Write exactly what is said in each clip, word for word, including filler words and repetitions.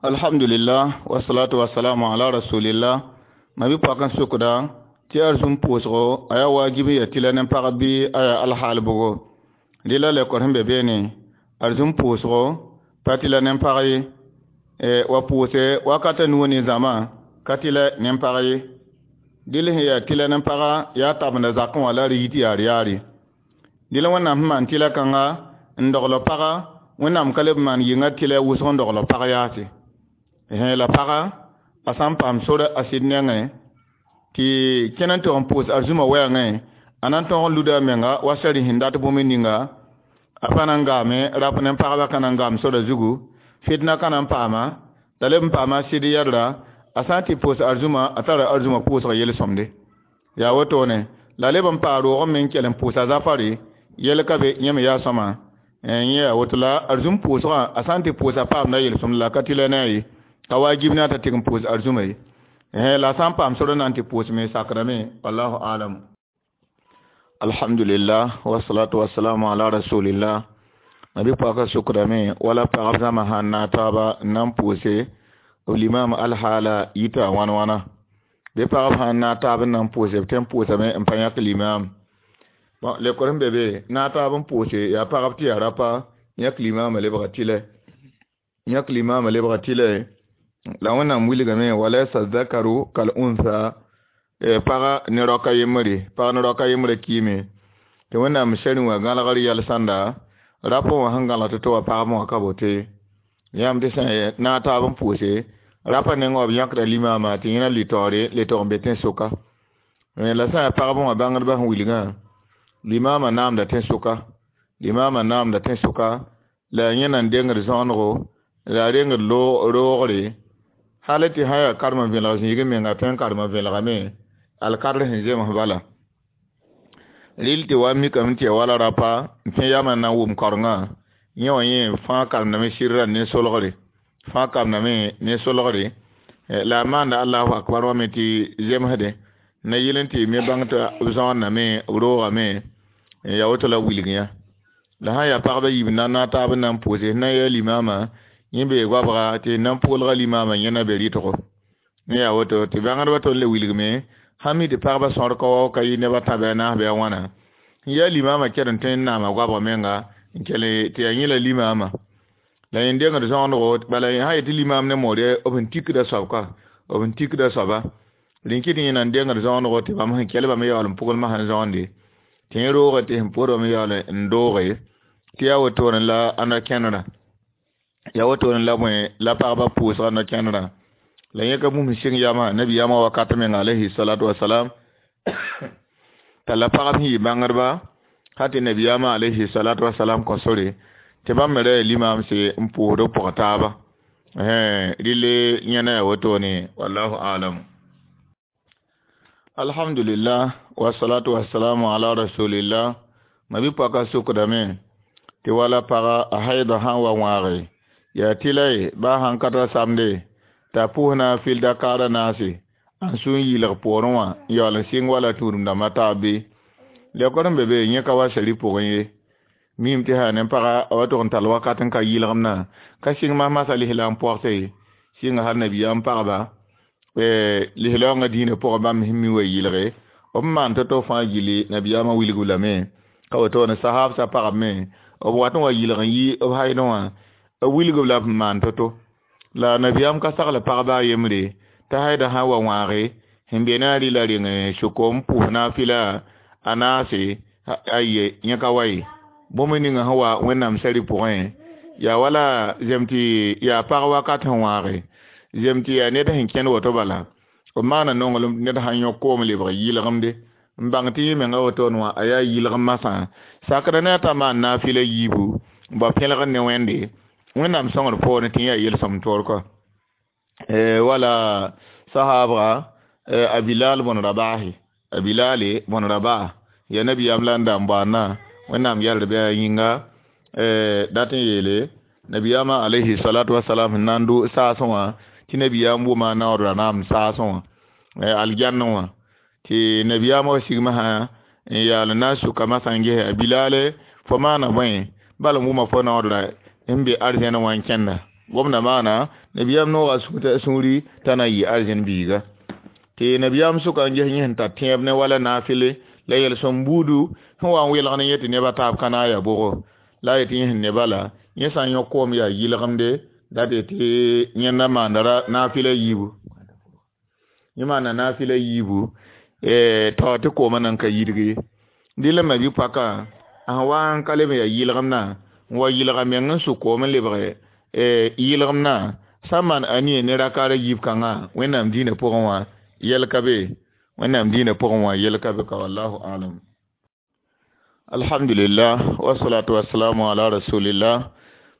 Alhamdulillah, wasalatu wasalamu ala rasulillah. Ma bi pɔk n sʋkda tɩ arzũm pʋʋsgo a yaa waajib n ya tɩla ne pagb bɩ a yaa alhaal bʋgo. Dɩ la lekor sẽn be beene arzũm pʋʋsgo pa tɩla ne pag ye, wa pʋʋse wakat a nuu ne zãma ka tɩlɛ ne pag ye. Dɩl sẽn yaa tɩlɛ ne paga yaa tabenda zakẽ wã la d yit yaar yaare. Dɩl Wẽnnaam sẽn maan tɩlɛ kãnga n dogl paga, Wẽnnaam ka leb n maan yɩnga tɩlɛ wʋsg n dogl pag yaase. La paga a sã n paam sor a sɩd nengẽ tɩ kẽn n tog n pʋʋs arzũmã wɛɛngẽ, a na n tõog n luda a menga wa sari sẽn dat bũmb ninga, a pa na n gaame rap ne pagba ka na n gaam sora zugu, fitna ka na n paama, t'a leb n paama a sɩd yɛdra, a sã n tɩ pʋʋs arzũmã a tara arzũmã pʋʋsg yel-sõmde. Yaa wotone la leb n paa roog me n kell n pʋʋsa zafare yɛl ka be yẽ me yaa sõma. Yẽ yaa woto la arzũm pʋʋsgã a sã n tɩ pʋʋsa paamda yel-sõmd la ka tɩlɛ ne a ye, ka waajib ne a t'a tɩg n pʋʋs arzũmã ye. La a sã n paam sor n na n tɩ pʋʋsme sakrame, wallahu alam. Alhamdulillah, wasalatu wasalamu ala rasulillah. Ma bi pɔka sʋkdame wala pagb zãma sãn na taaba n na n pʋʋse b limam alhaala yita wãn wãna. Bɩ pagb sãn na taab n na n pʋʋse b tõe n pʋʋsame n pa yãk limam. Bon, lekor sẽn be be na taab n pʋʋse yaa pagb tɩ yaa rapa yãk limamã lebga tɩlɛ, yãk limamã lebga tɩlɛ. La Wẽnnaam wilgame walaysa zakaru kal unsa, paga ne raoka yembre, pag ne raoka yembre kiime tɩ Wẽnnaam sɛrẽ wã gãlgr yɛl sãnda rapẽ wã sẽn gãlg tɩ tɩ wa pagb wã ka bote. Yãmb tɩ sã na taab n pʋʋse rapa nengã wã b yãkda limamã tɩ yẽna litaoore le tog n be tẽn-soka. La sã yaa pagb wã bãngdbã sẽn wilgã limamã naamda tẽn-soka, limamã naamda tẽn-soka, la yẽ na n dengd zõonego la a rengd roogre hal tɩ sã yaa karem vẽelg zĩig menga tõe n karem vẽelgame alkadr sẽn zems bala. Rɩl tɩ wa mikame tɩ yaa wala rapa n pẽ yamã n na n wʋm kaorengã, yẽ wã yẽ fãa karemdame sɩrrã ne solgre, fãa karemdame ne solgre. La a maanda allahu akbar wã me tɩ zemsdẽ na yɩl n tɩ me bãng tɩ b zõondame b roogame, yaa woto la wilg yã. La sã n yaa pagba yiib na na taab n na n pʋʋse sẽn na n yaa limamã yẽ bee goabga tɩ na n pʋʋlga limamã yẽ na be rɩtgo. Yẽ yaa woto tɩ bãngdbã tõnd le wilgme sãn mi tɩ pagba sõr ka wao ka yɩ neb a tã bɩ a naas bɩ a wãna, n yaa limamã kɛd n tõe n naama goabg menga n kell tɩ yaa yẽ la limamã. La yẽ dengd zõonego bala sã yetɩ limam ne moore b sẽn tikda soab ka, b sẽn tikda soaba rẽn kɩt yẽ na n dengd zõonego tɩ bãmb sẽn kell bame yaool n pʋgelmã sẽn zõonde tɩ yẽ rooge tɩ sẽn pʋʋd bame yaool n dooge tɩ yaa wotone la a no-kẽnerã, yaa wotone la bõe la pagba pʋʋsga no-kẽnerã. La yẽ ka bũmb sɩng yamã nabiyaamã wakat menga alayhi salatu wasalam t'a la pagb sẽn yɩ bãngdba sã tɩ nabiyaamã alayhi salatu wasalam kõ sore tɩ bãmb me ra yaa limamse n pʋʋsd b pʋg taaba. Rɩle yẽna yaa wotone, wallahu alam. Alhamdulillah, wasalatu wasalamu ala rasulillah. Ma bi pɔka sʋkdame tɩ wala paga a haida sã n wa wãage yaa tɩla ye baa sãn ka ta samde t'a pʋʋs na n fɩl dakaar a naase n sũ n yɩlg poorẽ wã n yaool n sɩng wala tũudem dãmbã taab bɩ. Lekor n be be yẽ ka wa sari pʋgẽ ye, mim tɩ sã ne paga a wa tog n tall wakat n ka yɩlgemdã ka sɩng masmasã lislaam pɔgse sɩnga hal nabiyaam pagba lislaoongã dĩinã pʋgẽ bãmb sẽn mi wa yɩlge b maan tɩ-to fãa gilli nabiyaamã wilg lame ka wotone sahabsã pagb me b wat n wa yɩlg n yi b haidẽ wã b wilg la b maan tɩ-to. La nabiyaam ka sagl pagba a yembre t'a haida sã n wa wãage sẽn be ne a rɩla reng sʋko n pʋs naafɩla a naase aye yẽ ka wa ye. Bũmb ninga sẽn wa Wẽnnaam sari pʋgẽ yaa wala zem tɩ yaa pag wakat sẽn wãage zem tɩ yaa ned sẽn kẽnd woto bala b maana nonglem ned sãn yõk koom lebg yɩlgemde n bãng tɩ yẽ menga wotone wã a yaa yɩlgem masã sakra ne a t'a maan naafɩla yiibu n bao pẽlgd ne Wẽnde Wẽnnaam sõngr poorẽ tɩ yẽ yaa yel-sõmd toor kɔa. Wala sahabga a Bilal bõn Rabahi, a Bilale bõn Rabah yaa nabiyaam la n da n baoandã Wẽnnaam yɛld bɩ a yĩnga dat n yeele nabiyaamã alayhi salatu wasalam sẽn na n dʋ saasẽ wã tɩ nabiyaam wʋma naoodra naam saasẽ wã aljanna wã tɩ nabiyaamã wa sigmã sã n yaal n na n sʋka masã n ges a Bilale fo maana bõe bala n wʋma fo naoodra n be arzɛnã wã n kẽnda. Gomda maana nabiyaam nooga sũuri t'a na n yɩ arzẽn biiga tɩ nabiyaam sʋka n ges yẽ sẽn tar tẽeb ne wala naafɩle la yel-sõm buudu sẽn wa n welg ne yẽ tɩ neb a taab ka na n yaa bʋgo la a yetɩ yẽ sẽn ne bala yẽ sã n yõ koom yaa yɩlgemde dat yetɩ yẽnda maanda naafɩla yiibu yẽ maanda naafɩla yiibu tao tɩ koomã nan ka yidg ye dɩl n ma-bi-poakã a sẽn wa n ka leb n yaa yɩlgemdã n wa yɩlga meng n sʋk koom n lebge yɩlgemdã sã n maan anie ne rakaar a yiib kãngã wẽnnaam dĩinã pʋgẽ wã yɛl ka be wẽnnaam dĩinã pʋgẽ wã yɛl ka be ka wallahu alam. Alhamdulillah wasalatu wasalamu ala rasulillah.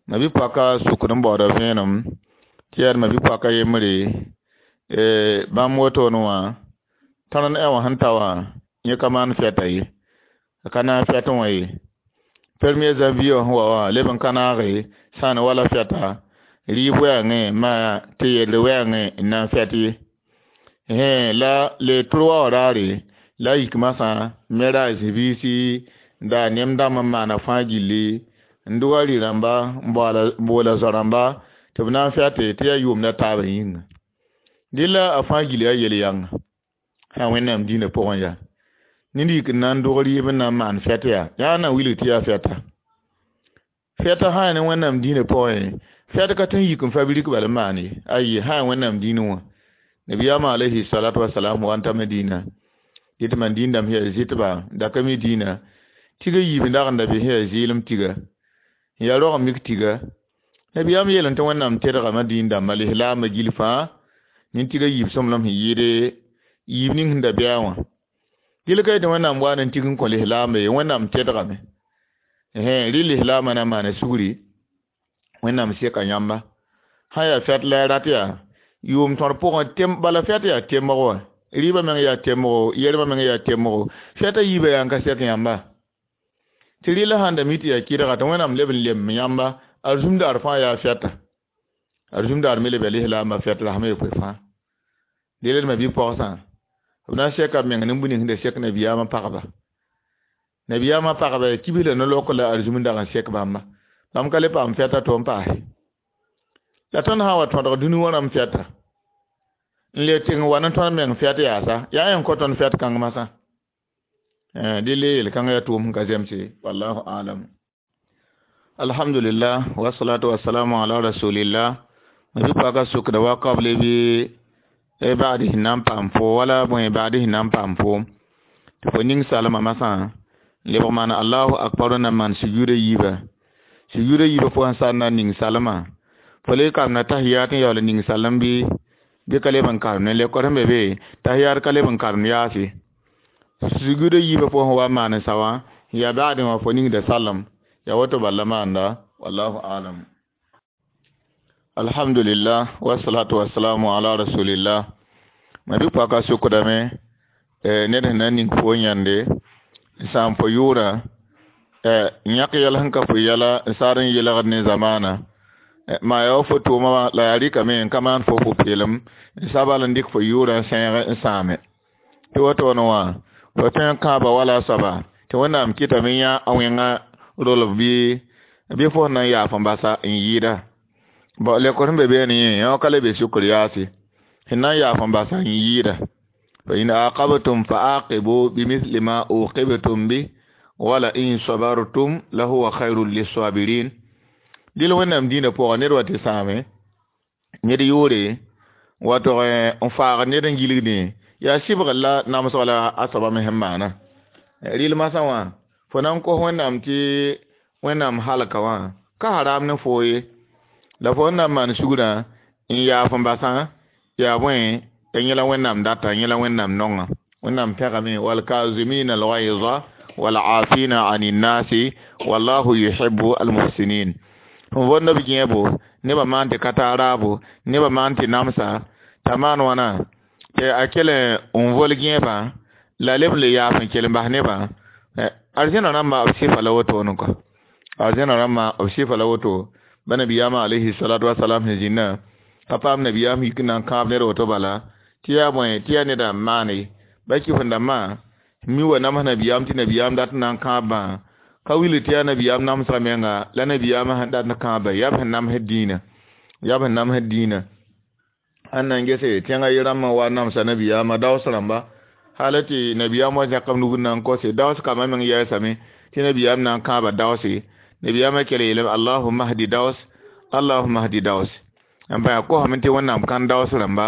Ma-bi-poaka sukd n baooda vẽenem tɩ yaa ma-bi-poaka yembre bãmb wotone wã tõnd n wã sẽn ta wã yẽ ka maan fɛta ye a ka naag fɛt wã ye premier janvier wã sẽn wa wã leb n ka naage sãan wala fɛta rɩɩb wɛɛngẽ maa tɩ yelle wɛɛngẽ n na n fɛt ye la le trois wã raare la a yik masã me ra a zĩ-biisi n daa nem dãmb n maana fãa gilli n dʋga rɩ-rãmba n boola zao-rãmba tɩ b na n fɛte tɩ yaa yʋʋmda taabã yĩnga dɩlla a fãa gil yaa yel-yãnga sã wẽnnaam dĩinã pʋgẽ yaa ned yik n na n dog rɩɩb n na n maan fɛt yaa yaa na wilg tɩ yaa fɛta fɛta sã yaa ne wẽnnaam dĩinã pʋgẽ fɛt ka tɩ n yik n fabrik bal n maan ye ayi sã yaa wẽnnaam dĩinã wã nabiyaamã alayhi salatu wasalam wa n ta Madina dɩ tɩ man dĩin-dãmb sẽn yaa zɩtba da ka mi dĩinã tiga yiib n dag n da be sẽn yaa zɩɩlem tiga n yaa rog n mik tiga nabiyaam yeelẽ tɩ wẽnnaam tedgame dĩin-dãmbã lislaambã gil fãa nin-tiga yiib sõmblem sẽn yɩɩde yiib ning sẽn da bɩa wã dɩl ka yetɩ wẽnnaam wa n tig n kõ lislaambã ye wẽnnaam tedgame rɩ lislaambã na n maana sugri wẽnnaam seka yãmba sã yaa fɛt la a rat yaa yʋʋm tõr pʋgẽ tem bala fɛt yaa temg wã rɩɩbã meng yaa temgo yɛrmã meng yaa temgo fɛta yiibã yaa n ka sɛk yãmba tɩ rɩla sãn da mi tɩ yaa kɩdga tɩ wẽnnaam leb n lem yãmba arzũmdaar fãa yaa fɛta arzũmdaar me leb yaa lislaambã fɛt la sãma yepoe fãa deel d ma-bi-pogsã b na n sɛka b meng nin-bũ ning sẽn da sɛk nabiyaamã pagba nabiyaamã pagba yaa kibs la no-lok la arzũm n dag n sɛk bãmba bãmb ka le paam fɛta to n paase la tõnd sã n wa tõdg dũni wã rãmb fɛta n le tɩng wa ne tõnd meng fɛt yaasa yaa yẽn kõ tõnd fɛt kãng masã dɩ le yel-kãngã yaa tʋʋm sẽn ka zemse wallahu alam. Alhamdulillah wasalatu wasalamu ala rasulillah. Ma-bi-poaka sukda wa kable bɩ baadi sẽn na n paam fo wala bõe baadi sẽn na n paam foom tɩ fo ning salmã masã n lebg maan allahu akbar n na n maan sujuudã yiibã sujuudã yiibã fo sẽn sar na n ning salmã fo le karemda tahiyat n yaool n ning salem bɩ bɩ ka leb n karem ne lekor sẽn be be tahiyat ka leb n karem yaase sujuudã yiibã fo sẽn wa n maan n sa wã yaa baadẽ wã fo ningda salem yaa woto bala maanda wallahu alam. Alhamdulillah wasalatu wasalamu ala rasulillah. Ma-bi-poaka sukdame ned sẽn na n ning fo yãnde n sãam fo yʋʋra yãk yɛl sẽn ka fo yɛla n saad n yelgd ne zamaana maa yaa wa fo tʋʋma wã la yaa rɩkame n ka maan fo pʋ-peelem n sabal n dɩk fo yʋʋrã n sẽeg n sãame tɩ wotone wã fo tõe n kãaba wala a soaba tɩ wẽnnaam kɩtame yã a wẽnga rolb bɩ bɩ fo sẽn na n yaaf n basa n yɩɩda bon lekor sẽn be beene yẽ yã ka le be sukr yaase sẽn na n yaaf n basa n yɩɩda fa in aqabtum fa aqibu bimithli ma uqibtum bi wala in sabartum lahuwa khairun lissabirin. Dɩl wẽnnaam dĩinã pʋgã ned wa tɩ sãame ned yʋʋre wa tog n faag ned n gilgdẽ yaa sɩbgr la namsg la a soaba me sẽn maana rɩl masã wã fo na n kos wẽnnaam tɩ wẽnnaam halka wã ka haram ne foo ye la fo sẽn na n maan sugrã n yaaf n basã yaa bõe ya yẽla wẽnnaam data yẽla wẽnnaam nonga wẽnnaam pẽgame walkazimina alghayza walafina ani nnasi wallahu yuhibu almuhsinin. Fõn võnd b gẽebo nebã maan tɩ ka tar raabo nebã maan tɩ namsa t'a maan wãna tɩ a kell n vol gẽebã la leb n le yaaf n kell n bas nebã arzẽna rãmba b sɩfa la wotone kɔ arzẽna rãmba b sɩfa la woto ba nabiyaamã alayhi salatu wasalam sẽn zĩnnã ka paam nabiyaam yik n na n kãab ned woto bala tɩ yaa bõe tɩ yaa neda n maane ba kɩf-n-dãmbã mi wa nams nabiyaam tɩ nabiyaam dat n na n kãabã ka wilg tɩ yaa nabiyaam namsga menga la nabiyaamã sẽn dat n kãaba yaa b sẽn namsd dĩinã Yaa b sẽn namsd dĩinã ãn na n gese tẽngã ye-rãmbã wa namsa nabiyaamã daoos rãmba hal tɩ nabiyaam wa zẽk b nug n na n kose daoos kambã meng yɛɛsame tɩ nabiyaam na n kãaba daoose nabiyaamã kell yeelame allahumma hdi daoos allahumma hdi daoos n pa yaa kosame tɩ wẽnnaam kãn daoos rãmba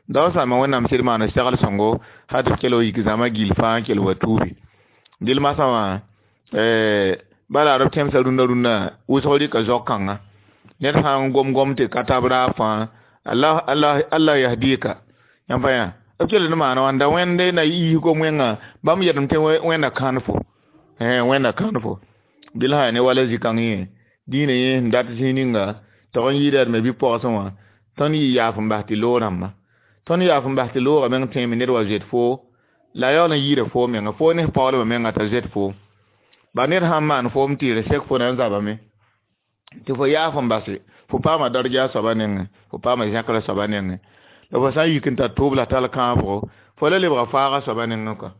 daoos rãmbã wẽnnaam sɩd maana segl sõngo hal tɩ b kell wa yik zãma gill fãa n kell wa tuubi dɩl masã wã bala b tẽmsã rũndã rũndã wʋsg rɩka zao-kãnga ned sã n gom gom tɩ ka tab raab fãa Allah Allah Allah yahdika yãmb pa yã b kell n maana wãnda wẽnde na yiis gom wẽnga bãmb yɛdem tɩ wẽnda kãn fo wẽnda kãn fo dɩl sã yaa ne wala zĩ-kãng yẽ dĩinã yẽ sẽn dat zĩig ninga tog n yɩɩda d me bɩ-pogsẽ wã tõnd yɩ yaaf n bas tɩ loog rãmba tõnd yaaf n bas tɩ loogã meng tẽeme ned wa zoet foo la a yaool n yɩɩda foo menga foo ne f paoolbã menga t'a zoet foom ba ned sãn maan foom tɩ d sek fo na n zabame tɩ fo yaaf n base fo paama darja a soaba nengẽ fo paama zẽkra soaba nengẽ la fo sã n yik n tar tʋʋb la tall kãabgo fo la lebga faaga soaba nengẽ kɔa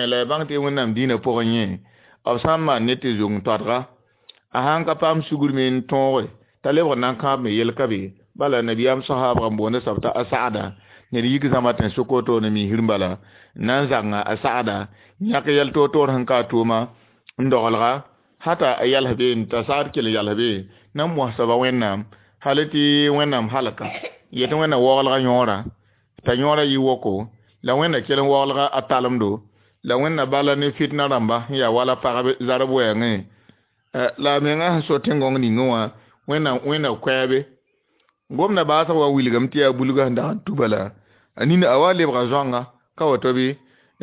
la ya bãng tɩ wẽnnaam dĩinã pʋgẽ yẽ b sã n maan ned tɩ zong toadga a sãn ka paam sugr me n tõoge t'a lebg n na n kãab me yel ka be bala nabiyaam sahaabg n boonda soab t'a asada ned yik zãma tẽn-sʋk wotone misr n bala n na n zãnga a sagda yãk yɛl toor-toor sẽn ka a tʋʋma n dogelga hata a yals be t'a sagd kell n yals be na n mos soaba wẽnnaam hal tɩ wẽnnaam halka yetɩ wẽnnaam waoolga yõora t'a yõora yɩ woko la wẽnna kell n waoolga a talemdo la wẽnna bala ne fitna rãmba sẽn yaa wala pagb zarb wɛɛngẽ la a menga sẽn so tẽn-gõng ningẽ wã wẽnnaam wẽnna koɛɛbe gomda baasg wa wilgame tɩ yaa bulgã sẽn dag n tuba la a nina a wa lebga zoanga ka woto bɩ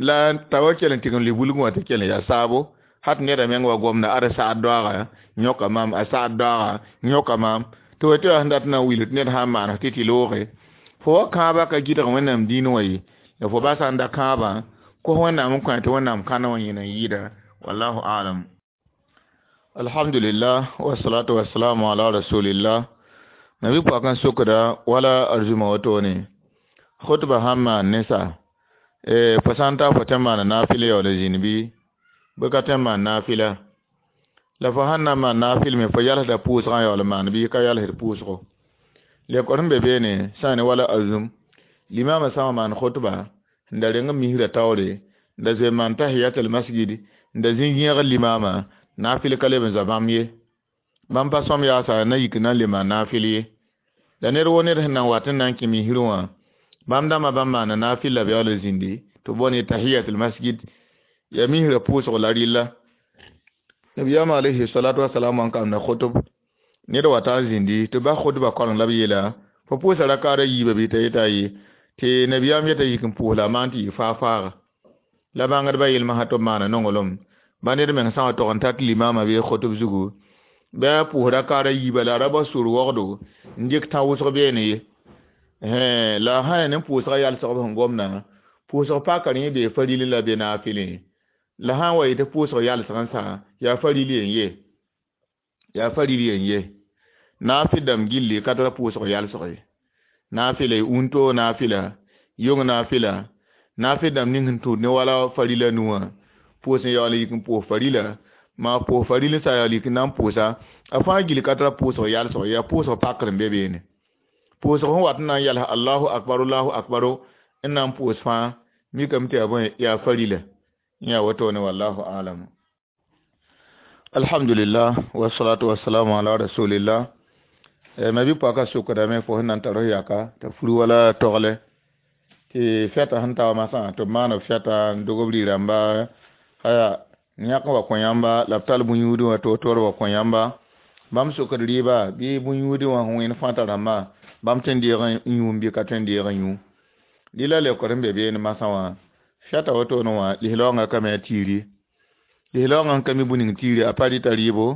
la t'a wa kell n tɩg n lʋɩ bulgẽ wã tɩ kell n yaa saabo hat neda meng wa gomda ad sagd doaaga yõka maam a sagd doaaga yõka maam tɩ wa tɩ yaa sẽn dat na n wilg tɩ ned sã n maan tɩ tɩ looge fo wa kãabã ka gɩdg wẽnnaam dĩin wã ye la fo basa n da kãabã kos wẽnnaam n kõ tɩ wẽnnaam kãna wã yẽna n yɩɩda wallahu alam alhamdulillah wasalatu wasalamu ala rasulillah nabi pʋak n sokda wala arzuma wotone khutba sãn maan ne sa fo sã n ta fo tẽ n maana naafɩl yaool n zĩnd bɩ bɩ ka tẽ n maan naafɩla la fo sãn na n maan naafɩl me fo yalsda pʋʋsgã yaool n maan bɩ ka yalsd pʋʋsgo lekor sẽn be beene sã ne wala arzum limaamã sã n wa maan khutba n da reng n misrã taoore n da zoe n maan tahiyatul masjid n da zĩ yẽgr limaamã naafɩl ka leb n zoa bãmb ye bãmb pa sõm yaasa na yik n na n le maan naafɩl ye la ned wo ned sẽn na n wat n na n kẽ misrẽ wã bãmb dãmbã bãmb maana naafɩl la b yaool n zĩndi tɩ b boond tahiyatul masjid ya misrã pʋʋsg la rɩlla nabiyaamã alayhi salatu wasalam wã n kamda khutb ned wa ta n zĩndi tɩ bas khutba koreng la b yeela fo pʋʋsa rakaada yiibã bɩ t'a yeta ye tɩ nabiyaam yeta yik n pʋʋs la a maan tɩ yɩ faa-faaga la bãngdbã yelmsã tɩ b maana nonglem ba ned meng sã n wa tog n tat limaamã bee khutb zugu bɩ a pʋʋs rakaada yiibã la a ra bao sor wogdo n dɩk tã wʋsg beene ye la a sã yaa ne pʋʋsgã yalsg b sẽn gomdã pʋʋsg paka rẽ bee faril la be naafɩlẽ la sã n wa yetɩ pʋʋsg yalsg n sa yaa faril yen ye yaa faril yen ye naafɩl dãmb gilli ka tara pʋʋsg yalsg ye naafɩla unto naafɩla yong naafɩla naafɩl dãmb ning sẽn tũud ne wala farila nuwã pʋʋs n yaool n yik n pʋʋs farila maa pʋʋs faril n sa yaool yik n na n pʋʋsa a fãa gill ka tara pʋʋsg yalsg yaa pʋʋsg pakr n be beene pʋʋsg sẽn wat n na n yals allahu akbar allahu akbar n na n pʋʋs fãa mikame tɩ yaa bõe yaa farila n yaa wotone wallahu alam alhamdulillah wasalatu wasalamu ala rasulillah ma bɩ paka sokdame fo sẽn na n tar f yaka t'a fur wala togle tɩ fɛta sẽn ta wa masã tɩ b maan b fɛta n dog b rɩ-rãmba aya yãk wa kõ yãmba la b tall bõn-yũudẽ wã toor-toor wa kõ yãmba bãmb sokd rɩɩba bɩ bõn-yũudẽ wã sẽn wẽnd fãta rãmbã bãmb tõe n deeg n yũum bɩ ka tõe n deeg n yũ dɩ la leokd sẽn be beene masã wã fɛta wotone wã lislaoongã kame a tiiri lislaoongã n ka mi bũ-ning tiiri a pa rɩta rɩɩbo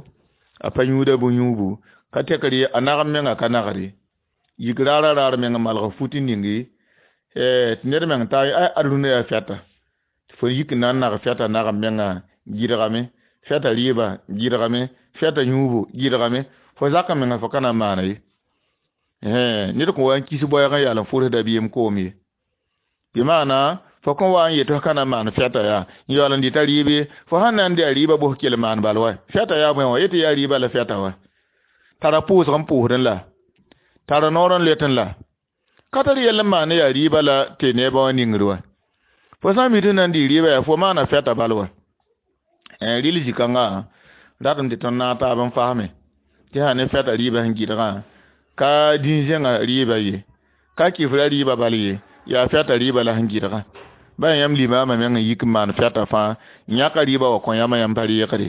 a pa yũuda bõn-yũubu ka tek rɩ a nagem menga ka nagre yik raara raar meng n malg fut n ningi tɩ ned meng ta ad rũndã yaa fɛta tɩ fo yik n na n nag fɛta nagem menga gɩdgame fɛta rɩɩba gɩdgame fɛta yũubu gɩdgame fo zak n menga fo ka na n maana ye ned kõn wa n kis boɛɛg n yaal n fʋrs dabiim koom ye bɩ maana fo kõn wa n yet f ka na n maan fɛta yaa n yaool n dɩta rɩɩb ye fo sãn na n dɩ a rɩɩbã bos kell maan bal wa fɛta yaa bõe wã yetɩ yaa rɩɩbã la fɛta wa tara pʋʋsg n pʋʋsdẽ la Tara noor n let n la ka tar yɛl n maan yaa rɩɩba la tɩ neebã wã ningr wa fo sã n mi tɩ na n dɩ rɩɩba yaa fo maana fɛta bal wa rɩl zĩ-kãngã ratame tɩ tõnd naag taab n fasme tɩ sã ne fɛta rɩɩbã sẽn gɩdgã ka dĩn-zẽngã rɩɩba ye ka kifra rɩɩba bal ye yaa fɛta rɩɩba la sẽn gɩdgã ba yãmb limaamã meng n yik n maan fɛta fãa n yãka rɩɩba wa kõ yãmb yãmb pa reegre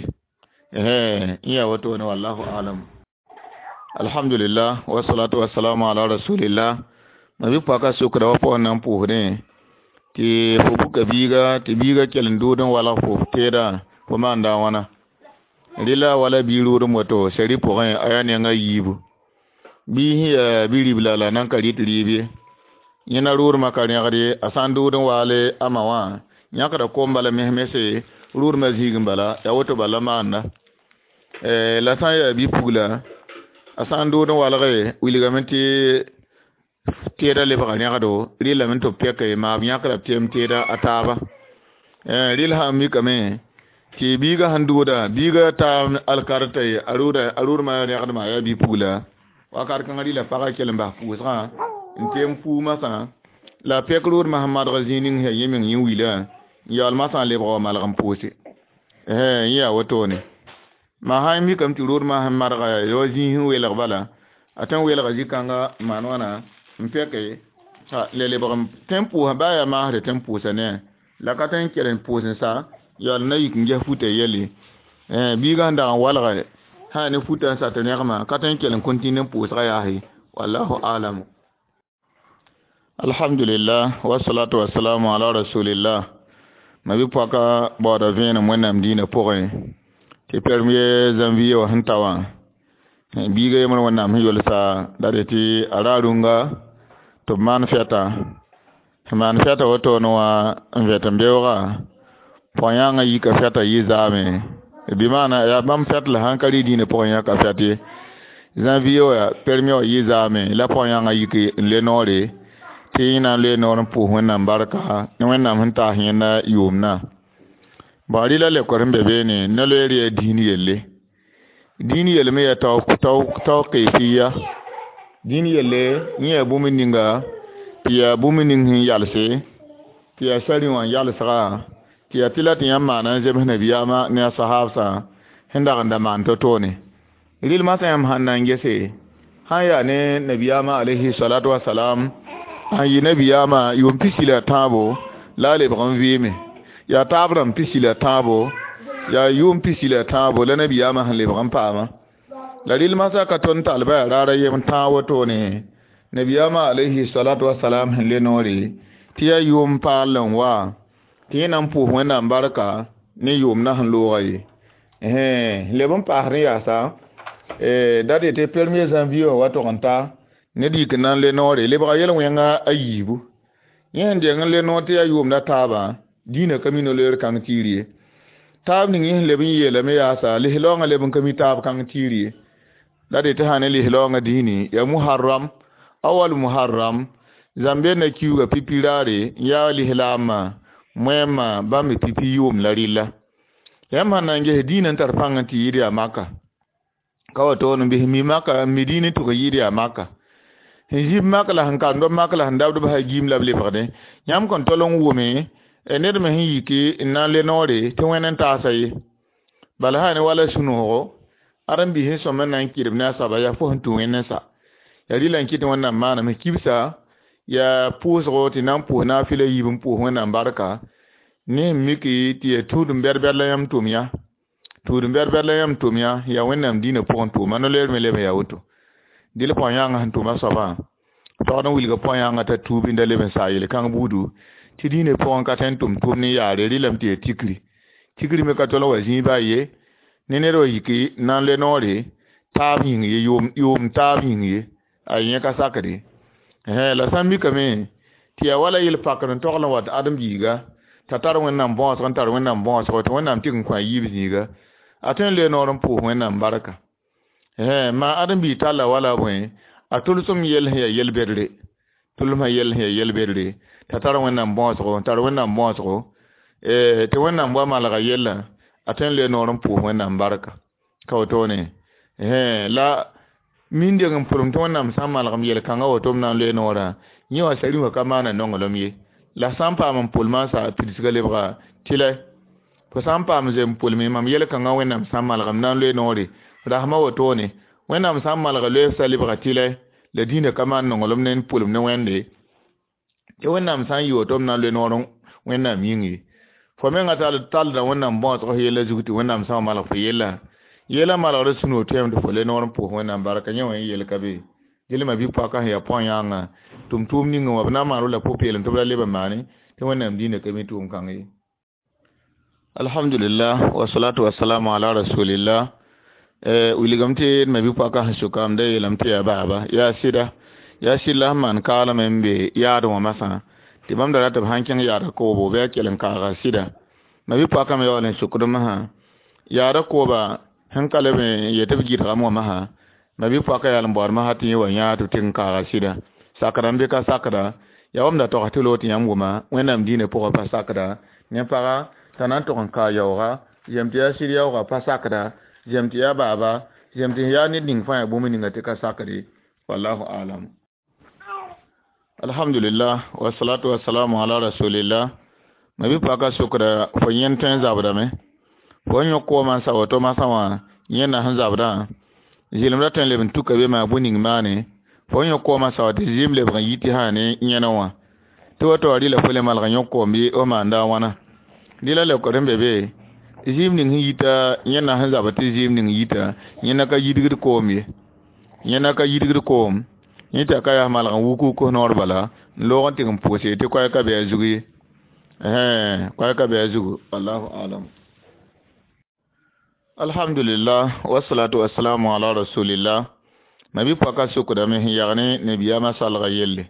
n yaa wotone wallahu alam. Alhamdulillah wasalatu wasalamu ala rasulillah. Ma bi paka sokda wa pʋgẽ na n pʋʋsdẽ tɩ fo buka biiga tɩ biiga kell n dood n walg fo teedã fo maanda a wãna rɩla wala bii roodem woto sari pʋgẽ a yaa nenga yiibu bii sẽn yaa bi-ribla la nan ka rɩt rɩɩb ye yẽna roodmã ka rẽgd ye a sã n dood n waale a ma wã yãkda kom bala mes mese roodmã zĩig n bala yaa woto bala maanda la sã n yaa bi-pugla a sã n dood n walge wilgame tɩ teeda lebga rẽgdo rɩlame tɩ b pɛke maab yãkda b tɩ teeda a taaba rɩl sã n mikame tɩ biiga sẽn dooda biiga taa alkarta ye a rooda a roodmã rẽgdmã yaa bi-pugla wakat kãngã rɩla pagã kell n bas pʋʋsgã n tem fuu masã la pɛk roodmã sẽn madg zĩig ning sẽn yẽ meng yẽ wilã n yaool masã lebg wa malg n pʋʋse yẽ yaa wotone ma sã n mikame tɩ roodmã sẽn madga ya zĩig sẽn welg bala a tõe n welga zĩ-kãnga n maan wãna n pɛke le lebg tõe n pʋʋsã baa yaa maasre tõe n pʋʋsa ne la ka tõe n kell n pʋʋs n sa yaool na yik n ges futa yelle biigã sẽn dag n walga sã ne futa n sat rẽgmã ka tõe n kell n continue n pʋʋsgã yaase wallahu alam. Alhamdulillah wasalatu wasalamu ala rasulillah. Ma bi pɔka baooda vẽenem wẽnnaam dĩinã pʋgẽ tɩ permier janvier wã sẽn ta wã biiga yembr wẽnnaam sẽn yolsa la dee tɩ a ra rũnga tɩ b maan fɛta sẽn maan fɛta wotone wã n vɛt n beooga pɔg-yãngã yika fɛta yɩ zaame bɩ maana yaa bãmb fɛt la sãn ka rɩ dĩinã pʋgẽ yãka fɛt ye janvier wã permier wã yɩ zaame la pɔg-yãngã yik n le noore tɩ yẽ na n loe noor n pʋʋs wẽnnaam barka ne wẽnnaam sẽn taas yẽnda yʋʋmdã bõe rɩla lekor sẽn be beene no-loeer yaa dĩin yelle dĩin yelle me yaa tao keefiya dĩin yelle yẽ yaa bũmb ninga tɩ yaa bũmb ning sẽn yalse tɩ yaa sari wã n yalsga tɩ yaa tɩ la tɩ yãmb maana n zems nabiyaamã ne a sahaabsã sẽn dag n da maan to-toone rɩl masã yãmb sãn na n gese sãn yaa ne nabiyaamã alayhi salatu wasalam sãn yɩ nabiyaamã yʋʋm pisi la tãabo la a lebg n vɩɩme yaa taab rãmb pisi la tãabo yaa yʋʋm pisi la tãabo la nabiyaamã sẽn lebg n paama la rɩl masã ka tõnd tall ba yaa raara yem tãag wotone nabiyaamã alayhi salatu wasalam sẽn le noore tɩ yaa yʋʋm paal n wa tɩ yẽ na n pʋʋs wẽnnaam barka ne yʋʋmdã sẽn looga ye leb n paasd n yaasa da dee tɩ premier janvier wã wa tog n ta ned yik n na n le noore lebga yel-wẽnga a yiibu yẽ sẽn deng n le noor tɩ yaa yʋʋmda taabã dĩinã ka mi no-loeer kãng tiir ye taab ning yẽ sẽn leb n yeelame yaasa lislaoongã leb n ka mi taab kãng tiir ye la dee tɩ sã ne lislaoongã dĩini yaa muharram awal muharram zãmbe na kiuuga pipi raare n yaa lislaamã moɛɛmã bãmb pipi yʋʋm la rɩlla yãmb sãn na n ges dĩinã n tar pãng n tɩ yɩɩd yaa maka ka wa toon n bɩs mi maka n mi dĩin n tʋg n yɩɩd yaa maka sẽn zib mak la sẽn karemd b mak la sẽn dabd b sa giim la b lebgdẽ yãmb kõn tol n wʋme ned me sẽn yiki n na n le noore tɩ wẽnd n taasa ye bala sã ne wala sũ-noogo ãdem-biis sẽn sõm n na n kɩdb ne a soaba yaa fo sẽn tũ wẽnd n sa yaa rɩla n kɩt wẽnnaam maaname kibsa yaa pʋʋsgo tɩ na n pʋʋs naafɩla yiib n pʋʋs wẽnnaam barka ne sẽn miki tɩ yaa tũud-n bɛd-bɛd la yãmb tʋm yã tũud-n bɛd-bɛd la yãmb tʋm yã yaa wẽnnaam dĩinã pʋgẽ tʋʋma no-loeer me leb n yaa woto dɩl pɔg-yãngã sẽn tʋma soabã taood n wilga pɔg-yãngã t'a tuub n da leb n saa yel-kãng buudu tɩ dĩinã pʋgẽ ka tõe n tʋm tʋʋm ne yaare rɩlame tɩ yaa tikri tikri me ka tol n wa zĩig baa ye ne ned wa yiki n na n le noore taab yĩng ye yʋʋm taab yĩng ye a yẽ ka sakde la sã n mikame tɩ yaa wala yel-pakr n togl n wat ãdem-biiga t'a tar wẽnnaam bõosg n tar wẽnnaam bõosgo tɩ wẽnnaam tɩg n kõ a yiib zĩiga a tõe n le noor n pʋʋs wẽnnaam barka maa ãdem-biig talla wala bõe a tʋlsem yell sẽn yaa yel-bedre tʋlsmã yell sẽn yaa yel-bedre t'a tar wẽnnaam bõosgo tar wẽnnaam bõosgo tɩ wẽnnaam wa malga yellã a tõe n le noor n pʋʋs wẽnnaam barka ka wotone la Min deng n pʋlem tɩ Wẽnnaam sã n malgem yel-kãngã woto b na n loe noorã yẽ wã sari wã ka maana nonglem ye la sã n paam n pʋlmã n sa pidsgã lebga tɩlɛ fo sã n paam zem pʋlme mam yel-kãngã Wẽnnaam sã n malgem na n loe noore rasmã wotone Wẽnnaam sã n malga loeef sa lebga tɩlɛ la dĩinã ka maan nonglem ne n pʋlem ne Wẽnde tɩ Wẽnnaam sã n yɩ woto b na n loe noor Wẽnnaam yĩng ye fo menga talda Wẽnnaam bõosg f yella zug tɩ Wẽnnaam sã n malg fo yella yella malgr sũ-noog tõeme tɩ fo le noor n pʋʋs Wẽnnaam barka yẽ wã yel ka be gilma bɩ paka sẽn yaa põ-yãangã tʋm tʋʋm ninga wã b na n maan la pʋ-peelem tɩ b ra leb n maane tɩ Wẽnnaam dĩinã ka mi tʋʋm kãng ye. Alhamdulillah wasalatu wasalamu ala rasulillah. Wilgame tɩ d ma bɩ paka sẽn sʋkam da yeelame tɩ yaa baaba yaa sɩda yaa sɩd la sẽn maan kaalame n be yaad wã masã tɩ bãmb da rat b sãn kẽng yaada koobo bɩ a kell n kaaga sɩda ma bɩ paka me yaool n sʋkd masã yaada kooba sẽn ka leb n yet b gɩdgame wã masã ma bɩ paka yaal n baood masã tɩ yẽ wa yãa tɩ b tɩg n kaaga sɩda sakda n be ka sakda yaa wam da togs tɩ loog tɩ yãmb wʋma Wẽnnaam dĩinã pʋgã pa sakda ne paga t'a na n tog n kaa yaooga zem tɩ yaa sɩd yaooga pa sakda zem tɩ yaa baaba zem tɩ yaa ned ning fãa yaa bũmb ninga tɩ ka sakde wallahu alam. Alhamdulillah wasalatu wasalamu ala rasulillah. Ma bɩ paka sʋkda fo yẽnd tõe n zabdame fo n yõk koomã n sa woto masã wã yẽnda sẽn zabdã zɩlem ra tõe n leb n tuka be maa bũ ning maane fo n yõk koomã sa wa tɩ zɩɩm lebg n yi tɩ sã ne yẽna wã tɩ woto wã rɩla fo le malg n yõk koom bɩ f maanda a wãna dɩ la leokd sẽn be be zɩɩm ning sẽn yita yẽnda sẽn zabd tɩ zɩɩm ning yita yẽnda ka yidgd koom ye yẽnda ka yidgd koom yẽ tɩ a ka yaa malg n wuk wuk noor bala n loog n tɩg n pʋʋse tɩ koɛɛg ka be a zug ye koɛɛg ka be a zugu wallahu alam. Alhamdulillah wasalatu wasalamu ala rasulillah. Ma bɩ paka sʋkdame sẽn yag ne nabiyaamã salga yelle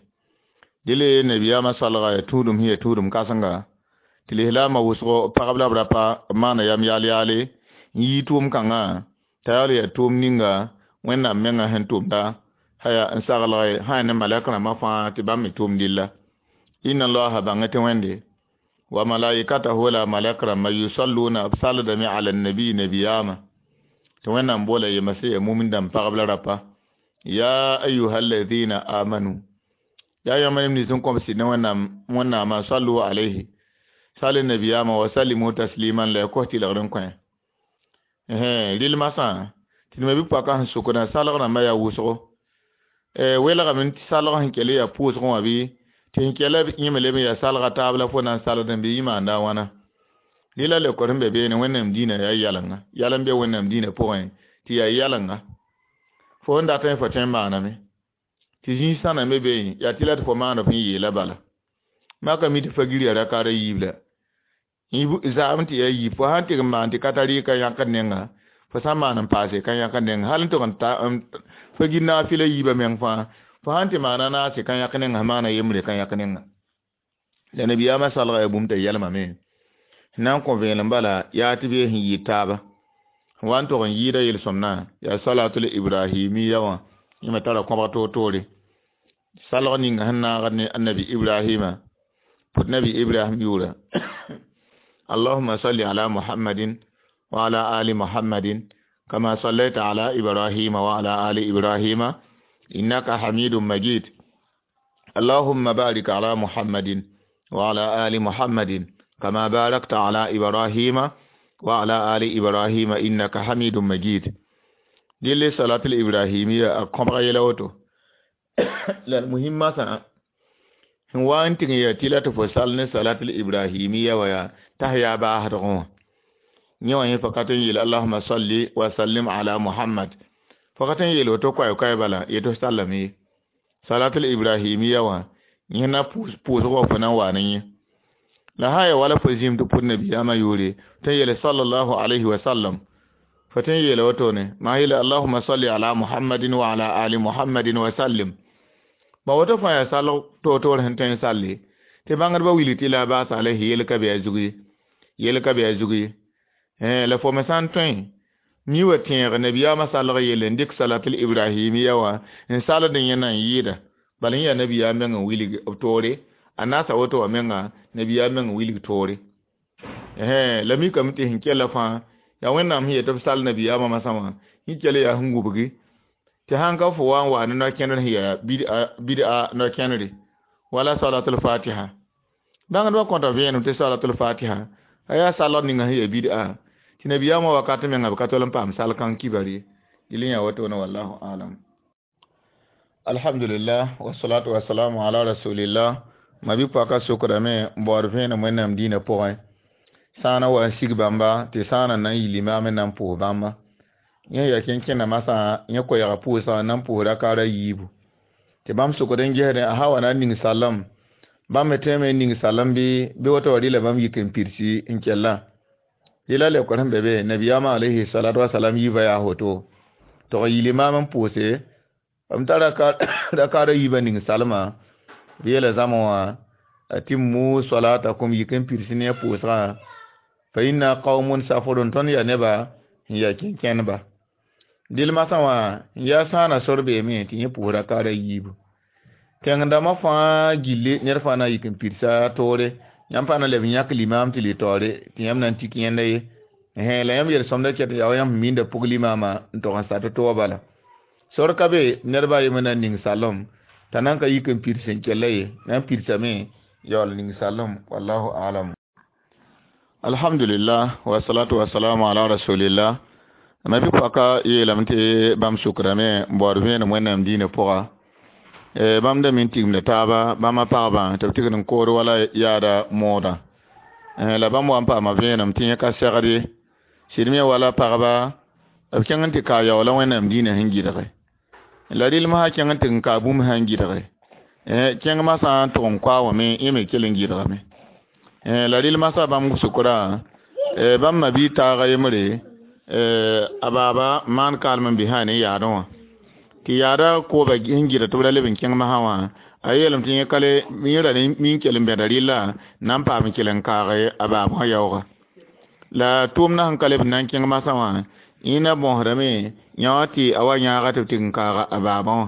dɩle nabiyaamã salga yaa tũudum sẽn yaa tũudum kãsenga tɩ lislaamã wʋsgo pagb la b rapa b maana yam yaal yaale n yii tʋʋm kãngã t'a yaool yaa tʋʋm ninga Wẽnnaam menga sẽn tʋmda haya n saglge sã ne malɛk rãmbã fãa tɩ bãmb me tʋʋm dilla inna allaha bãngẽ tɩ Wẽnde wa malaikatahu la malɛk rãmbã yusalluna b saldame ala nabi nabiyaamã tɩ Wẽnnaam boola yemase yaa mumin dãmb pagb la rapa ya ayuha alladhina amanu yaa yãmb neb nins n kõb sɩd ne Wẽnnaam Wẽnnaamã sallu alayhi sal nabiyama wa sallimu tasliman la ya kos tɩlgr n kõ rɩl masã tɩ d ma bɩ paka sẽn sʋkdã salg rãmbã yaa wʋsgo welgame tɩ salg sẽn kell yaa pʋʋsgẽ wã bɩ tɩ sẽn kella yẽ me leb n yaa salga taab la fo na n salgdẽ bɩ yẽ maanda a wãna dɩ la leokd sẽn be beene Wẽnnaam dĩinã yaa yalenga yal n be Wẽnnaam dĩinã pʋgẽ tɩ yaa yalenga fo n dat n fo tõe n maaname tɩ zĩig sãna me be yaa tɩ la tɩ fo maand f n yeela bala maka mi tɩ fa-gir yaa rakaada yiib la zaam tɩ yaa yiib fo sãn tɩg n maan tɩ ka tar ka yãkd nenga fo sã n maan n paase ka yãkd nenga hal n tʋg n ta fa-gir naafɩla yiibã meng fãa fo sãn tɩ maana naase ka yãk nenga maana yembre ka yãk nenga la nabiyaamã salga yaa bũmb t'a yɛlmame sẽn na n kõ vẽelem bala yaa tɩ bee sẽn yɩɩd taaba sẽn wa n tʋg n yɩɩda yel-sõmnã yaa salatul ibrahimiya wã yẽ me tara kõbg toor-toore salg ninga sẽn naagd ne annabi Ibrahima pʋt nabi Ibrahim yʋʋra اللهم صل على محمد وعلى آل محمد كما صليت على إبراهيم وعلى آل إبراهيم إنك حميد مجيد اللهم بارك على محمد وعلى آل محمد كما باركت على إبراهيم وعلى آل إبراهيم إنك حميد مجيد دي صلاة الإبراهيمية أقوم يلوتو لا المهم مثلا sẽn wa n tɩg n yaa tɩ la tɩ fo sal ne salatul ibrahimiya wa yaa t'a yaa baasdgẽ wã yẽ wã yẽ fa ka tõe n yeel allahuma salli wa sallim ala muhammad fo ka tõe n yeel woto koɛɛ-koɛɛ bala yetɩ f sallame ye salatul ibrahimiya wã yẽ na pʋʋsg wã fo na n wa ne yẽ la sã n yaa wala fo zĩm tɩ pʋd nabiyaamã yʋʋre tõe n yeele sallallahu alayhi wa sallam fo tõe n yeela wotone maa yeele allahuma salli ala muhammadin wa ala ali muhammadin wa sallim ba woto fãa yaa salg toor-toor sẽn tõe n salle tɩ bãngdbã wilg tɩ la baas alayhi yel ka be a zug ye yel ka be a zug ye la fo me sã n tõe mi wa tẽeg nabiyaamã salg yelle n dɩk salatul ibrahimiya wã n salд n yẽ na n yɩɩda bala yẽ yaa nabiyaam meng n wilg b toore a naasa woto wã menga nabiyaam meng n wilg toore la mikame tɩ sẽn kella fãa yaa Wẽnnaam sẽn yet b sal nabiyaamã masã wã sẽn kell yaa sẽn wubgi Tɩ sãn ka fo wa n wa ne no-kẽndr sẽn yaa bid'a no-kẽndre wala salatul fatiha. Bãngdbã kõta vẽenem tɩ salatul fatiha a yaa salg ninga sẽn yaa bid'a tɩ nabiyaamã wakat menga b ka tol n paam sal kãng kibar ye. Dɩl n yaa wotone wallahu alam. Alhamdulillah wasalatu wasalamu ala rasulillah. Ma-bi-poaka sokdame n baood vẽenem wẽnnaam dĩinã pʋgẽ sã n na wa n sig bãmba tɩ sã n na n yi limaam n na n pʋʋs bãmba. Yẽ yaa kẽn-kẽndã masã yẽ koɛɛgã pʋʋsgã n na n pʋʋs rakaar a yiibu. Tɩ bãmb sokd n gesdẽ a sã wa na n ning sallem bãmb me tõeme n ning sallem bɩ bɩ woto wa rɩla bãmb yik n pidsi n kella. Rɩla leokr sẽn be be nabiyaamã alayhi salatu wasalam yiibã yaa woto tɩg n yi limaam n pʋʋse b ta rakaar a yiibã ning salmã b yeela zãma wã atimmu salatakum yik n pids ne a pʋʋsgã fa inna qaumun safurun tõnd yaa neba n yaa kẽn-kẽndba. Dɩl masã wã n yaa sãana sor beeme tɩ yẽ pʋʋs rakaar a yiibu. Tẽng dãmbã fãa gilli ned fãa na n yik n pidsa toore yãmb pa na leb n yãk limaam tɩ lɩ taoore tɩ yãmb na n tik yẽnda ye. La yãmb yel-sõmda ket n yaa wa yãmb sẽn miinda pʋg limaamã n tog n sat toog bala. Sor ka be ned baa yembr na n ning sallem t'a nan ka yik n pids n kella ye na n pidsame yaool ning sallem wallahu alam. Alhamdulillah wasalatu wasalamu ala rasulillah. Ma-bi-poaka yeelame tɩ bãmb sʋkdame n baood vẽenem wẽnnaam dĩinã pʋga. Bãmb da min tigimda taaba bãmba pagba tɩ b tigd n kood wala yaada moodã. La bãmb wa n paama vẽenem tɩ yẽ ka segd ye. Sɩd me wala pagba b kẽng n tɩ kaa yaoola wẽnnaam dĩinã sẽn gɩdge. La rɩlem sã kẽng n tɩ n kaa bũmb sãn gɩdge. Kẽng masã n tʋg n koa wã me yẽ me kell n gɩdgame. La rɩlmã sa bãmb sʋkrã bãmb ma-biig taaga yembre a baaba maan kaalem n bisã ne yaadẽ wã. Tɩ yaada kooba sẽn gɩdg tɩ b ra leb n kẽng masã wã a yeelame tɩ yẽ ka le yẽ ra mi n kell n bẽda rɩlla na n paam n kell n kaage a baab wã yaooga. La tʋʋmdã sẽn ka leb n na n kẽng masã wã yẽ na bõosdame yã wã tɩ a wa yãaga tɩ b tɩg n kaaga a baabã wã.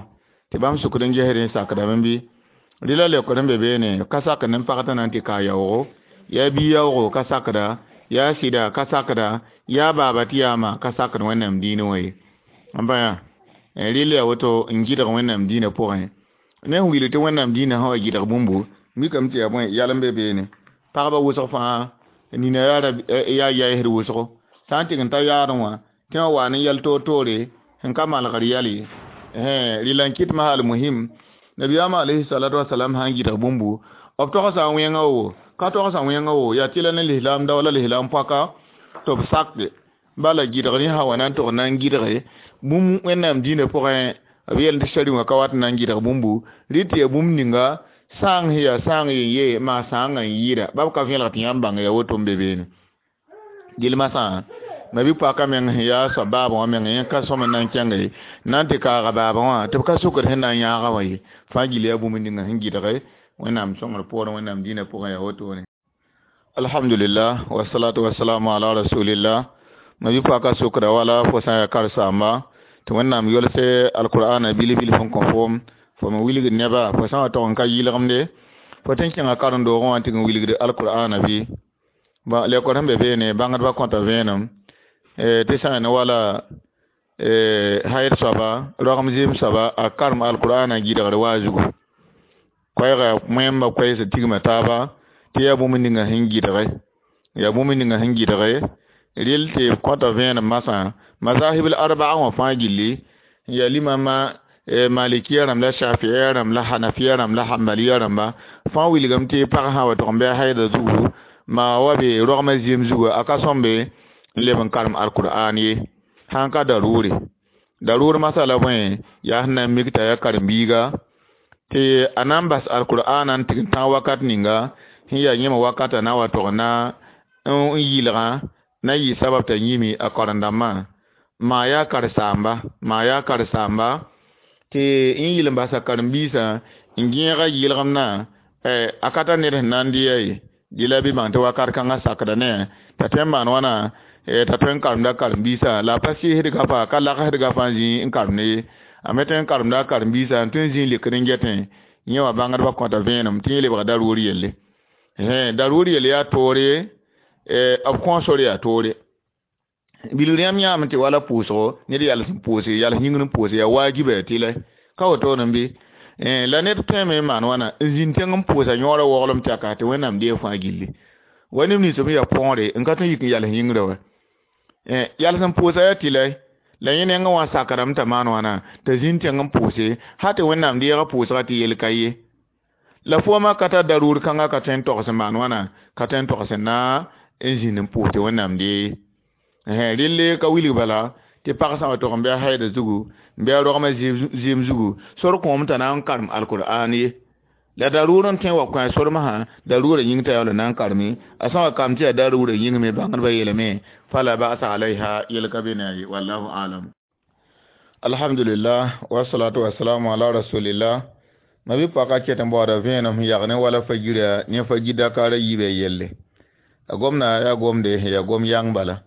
Tɩ bãmb sʋkd n gesd n sakdame bɩ rɩla leokd n be beene ka sakd ne pag tɩ na n tɩ kaa yaoogo yaa bia yaoogo ka sakda yaa sɩda ka sakda yaa baaba tɩ yaa ma ka sakd wẽnnaam dĩinã wã ye. N bã yaa rɩl yaa woto n gɩdg wẽnnaam dĩinã pʋgẽ. Ne sẽn wilg tɩ wẽnnaam dĩinã sã wa gɩdg bũmbu mikame tɩ yaa bõe yalem be beene. Pagba wʋsg fãa nina yaa yaɛsd wʋsgo sã n tɩg n ta yaadẽ wã tɩ wã wa ne yɛl toor-toore sẽn ka malgr yɛl ye. Rɩla n kɩt masã almuhim nabiyaamã alayhi salatu wasalam sã n gɩdg bũmbu b togsa wẽnga wo ka togsa wẽnga wo yaa tɩ la ne lislaam dao la lislaam poaka tɩ b sakde bala gɩdg rẽ sã wa na n tʋg na n gɩdge bũmb wẽnnaam dĩinã pʋgẽ b yeel tɩ sari wã ka wat n na n gɩdg bũmbu rɩ tɩ yaa bũmb ninga sãang sẽn yaa sãang yen ye maa sãangã n yɩɩda ba b ka vẽelg tɩ yãmb bãng yaa woto n be beene. Dɩl masã ma-bi-poaka meng sẽn yaa soab baabã wã meng yẽ ka sõm n na n kẽnge na n tɩ kaaga baabã wã tɩ b ka sʋkd sẽn na n yãaga wã ye. Fãa gill yaa bũmb ninga sẽn gɩdge wẽnnaam sõngr poorẽ wẽnnaam dĩinã pʋgẽ yaa wotone. Alhamdulillah wasalatu wasalamu ala rasulillah. Ma-bi-poaka sʋkda wala fo sã n yaa karen-saamba tɩ wẽnnaam yolse alqur'ana bil-bilf n kõ foom fo me wilgd neba fo sã n wa tog n ka yɩlgemde fo tɩ n kẽnga karen-doogẽ wã n tɩg n wilgd alqur'ana bɩ. Leokd sẽn be beene bãngdbã kõta vẽenem tɩ sã n wala hayd soaba roagem zɩɩm soaba a karem alqur'ana gɩdgr waa zugu. Koɛɛga wẽmba koɛɛs tigma taaba tɩ yaa bũmb ninga sẽn gɩdge yaa bũmb ninga sẽn gɩdge rɩl tɩ b kõta vẽenem masã mazahib arbaa wã fãa gilli n yaa limama malikiya rãmb la shafiya rãmb la hanafiya rãmb la hambaliya rãmba fãa wilgame tɩ pag sã wa tog n bɩ a haida zugu maa wa be rogmã zɩɩm zugu a ka sõmbe n leb n karem alqur'an ye sãn ka daruure. Daruur masala bõe yaa sẽn na n mik t'a yaa karen-biiga tɩ a na n bas alqur'ana n tɩg n tãag wakat ninga sẽn yaa yẽma wakata na wa tog na n yɩlgã na yɩ sabab t'a yĩme a karen-dãmbã maa yaa karen-saamba maa yaa karen-saamba tɩ n yɩl n basa karen-biisã n gẽega yɩlgemdã a ka tar ned sẽn na n dɩ-ya ye. Dɩ la bɩ bãng tɩ wakat kãngã sakda ne t'a tõe n maan wãna t'a tõe n karemda karen-biisã la a pa sɩɩsd gafa ka lagsd gafa n zĩ n karemd ye. A me tõe n karemda a karen-biisã n tõe n zĩ n lekd n getẽ yẽ wã bãngdbã kõta vẽenem tɩ yẽ lebga daruur yelle. Daruur yelle yaa toore b kõo sor yaa toore. Bilgr yãmb yãame tɩ wala pʋʋsgo ned yals n pʋʋse yals yĩngr n pʋʋse yaa waajiba tɩ la ka wotone bɩ la ned tõeme n maan wãna n zĩnd tẽng n pʋʋsa yõorã waoglem tɛka tɩ Wẽnnaam deeg fãa gilli wa neb nins b yaa põore n ka tõe n yik n yals yĩngrã wa yals n pʋʋsa yaa tɩ la yẽ nengẽ wã sakrame t'a maan wãna t'a zĩnd tẽng n pʋʋse hal tɩ Wẽnnaam deega pʋʋsga tɩ yel ka ye la foomã ka tar daruur kãngã ka tõe n togs n maan wãna ka tõe n togs n na n zĩnd n pʋʋs tɩ Wẽnnaam dee ye relle ka wilg bala tɩ pag sã wa tog n bɩ a haida zugu n bɩ a rogmã zɩɩm zugu sor kõom t'a na n karem alkur'an ye la daruur n tõe n wa kõ a sormsã daruurã yĩng t'a yaool n na n kareme a sã wa kam tɩ yaa daruurã yĩng me bãngdbã yeelame fala ba'sa alayha yel ka be ne a ye wallahu alam. Alhamdulillah wasalatu wasalamu ala rasulillah. Ma bɩ paka ket n baooda vẽenem sẽn yag ne wala fagira ne fagir dakara yiibã yelle a gomna yaa gomde sẽn yaa gom yãng bala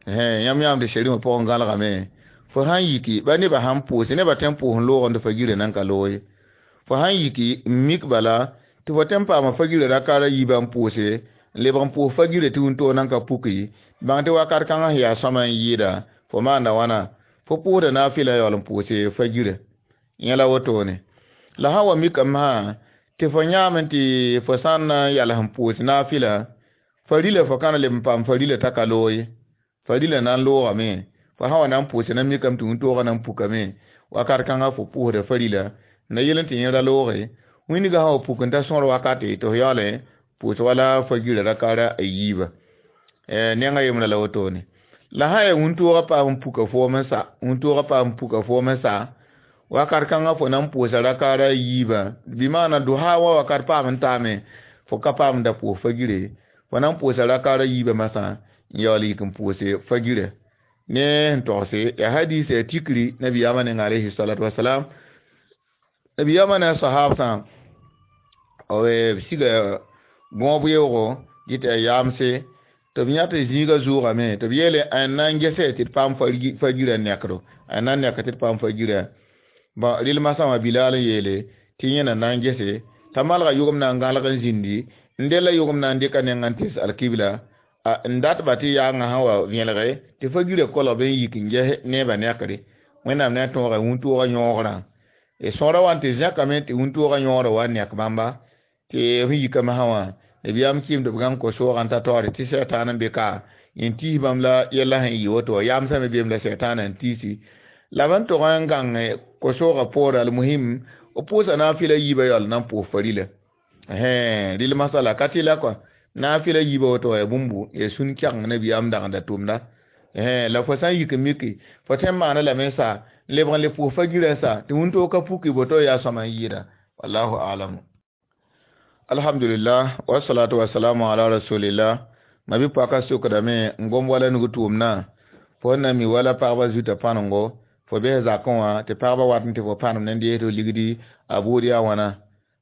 yãmb yãam tɩ sɛrmã pʋgẽ gãlgame fo sãn yiki ba nebã sãn pʋʋse nebã tõe n pʋʋs n loogẽ tɩ fagirã nan ka loog ye fo sãn yiki n mik bala tɩ fo tõe n paama fagirã rakara yiibã n pʋʋse n lebg n pʋʋs fagirã tɩ wĩntoog nan ka puki bãng tɩ wakat kãngã sẽn yaa sõma n yɩɩda fo maanda wãna fo pʋʋsda naafɩla yaool n pʋʋse fagirã yẽ la wotone la sã n wa mikame sã tɩ fo yãame tɩ fo sã n na n yals n pʋʋs naafɩla farila fo ka na leb n paam farila t'a ka loog ye farila na n loogame fo sã n wa na n pʋʋse na mikame tɩ wĩntoogã na n pukame wakat kãngã fo pʋʋsda farila na yel n tɩ yẽ ra looge wĩndgã sã wa puk n ta sõor wakate tɩ fo yaool pʋʋs wala fagirã rakara a yiiba nengã yembrã la wotone la sã yaa wĩntoogã paam n puka foom n sa wĩntoogã paam n puka foom n sa wakat kãngã fo na n pʋʋsa rakara a yiibã bɩ maana dosa wã wakat paam n taame fo ka paam n da pʋʋs fagire fo na n pʋʋsa rakara yiibã masã n yaool yik n pʋʋse fagirã ne sẽn togse yaa hadis yaa tikri nabiyaamã neng alayhi salatu wasalam nabiyaamã ne a sahabsã b siga gõob yeoogo dɩ tɩ yaa yaamse tɩ b yã tɩ zĩigã zʋʋgame tɩ b yeele n na n gese tɩ d paam fagirã nekdo n na n nek tɩ d paam fagirã bõn rɩl masã wã Bilaal n yeele tɩ yẽ na na n gese t'a malga yʋgem na n gãlg n zĩndi n della yʋgem na n dɩka nengã n tes alkibla n datba tɩ yaangã sã wa vẽelge tɩ fagirã kolg n yik n ges neebã nekre Wẽnnaam ne a tõoga wĩntoogã yõogrã sõora wa n tɩ zẽkame tɩ wĩntoogã yõogrã wa n nek bãmba tɩ f yika masã wã nabiyaam kɩɩm tɩ b gãng ko-soogã n ta taoore tɩ sɛtaan n be ka n tiis bãmb la yɛla sẽn yɩ woto wã yaamsã me beem la sɛtaanã n tiisi la b n tog n gãng ko-soogã poorã almuhim b pʋʋsa naafɩla yiibã yaool na n pʋʋs farila rɩl masala ka tɩ la kɔa naafɩla yiibã woto wã yaa bũmbu yaa sũn-kɛgeng nabiyaam dagenda tʋmda la fo sã n yik n miki fo tõe n maana lame n sa n lebg n le pʋʋs fagirã n sa tɩ wĩntoog ka puki boto yaa sõma n yɩɩda wallahu alamu. Alhamdulillah wasalatu wasalamu ala rasulillah. Ma bɩ paka sokdame n gom wala nug tʋʋmdã fo n na mi wala pagba zuta pãnengo fo bɩs zakẽ wã tɩ pagba wat n tɩ fo pãnem ne n dees tɩ ligdi a buud yaa wãna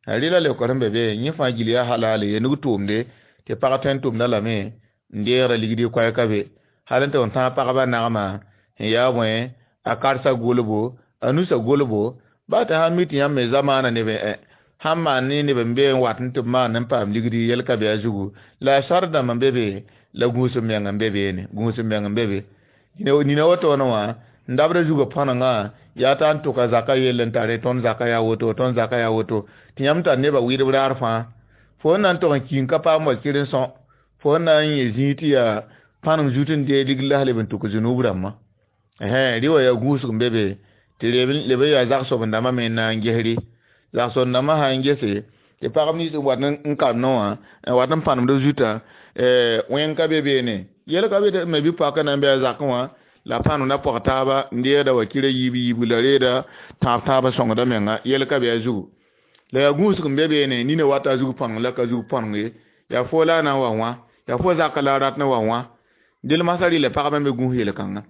rɩla leokd sẽn be be yẽ fãa gil yaa halal ye nug tʋʋmde tɩ pag tõe n tʋmda lame n deegda ligdi koɛɛka be hal n tɩ n tãag pagba nagmã sẽn yaa bõe a karsa golbo a nusa golbo ba tɩ sãn mi tɩ yãmb me zamaana neb sãn maan ne neb n be n wat n tɩ b maan n paam ligdi yɛl ka be a zugu la a sar dãmb n be be la gũus m meng n be beene gũus m meng n be be nina wotone wã n dabda zugã pãnengã yaa t'a n tʋka zaka yell n tare tõnd zaka yaa woto tõnd zaka yaa woto tɩ yãmb tar nebã wɩɩdb raar fãa fo n na n tog n ki n ka paam wakir n sõ fo n na n yẽ zĩig tɩ yaa pãneng zut n dee ligd la leb n tʋk zunub rãmbã rɩ wa yaa gũusg n be be tɩ leb n yaa zag-soab-dãmbã me n na n gesre zag-soab-dãmbã sã n gese tɩ pagb nins n wat n karemdẽ wã n wat n pãnemd zuta wẽng ka be beene yɛl ka be tɩ me bɩ paka na n bɩ a zakẽ wã la pãnemda pɔg taaba n deegda wakirã yiib yiibg la reeda tãab tãab sõngda menga yɛl ka be a zugu la yaa gũusg n be beene nina wata a zug pãneng la ka zug pãneng ye yaa fo la a na n wa wã yaa fo zaka la a rat n wa wã del masã rɩla pagba me gũus yel-kãnga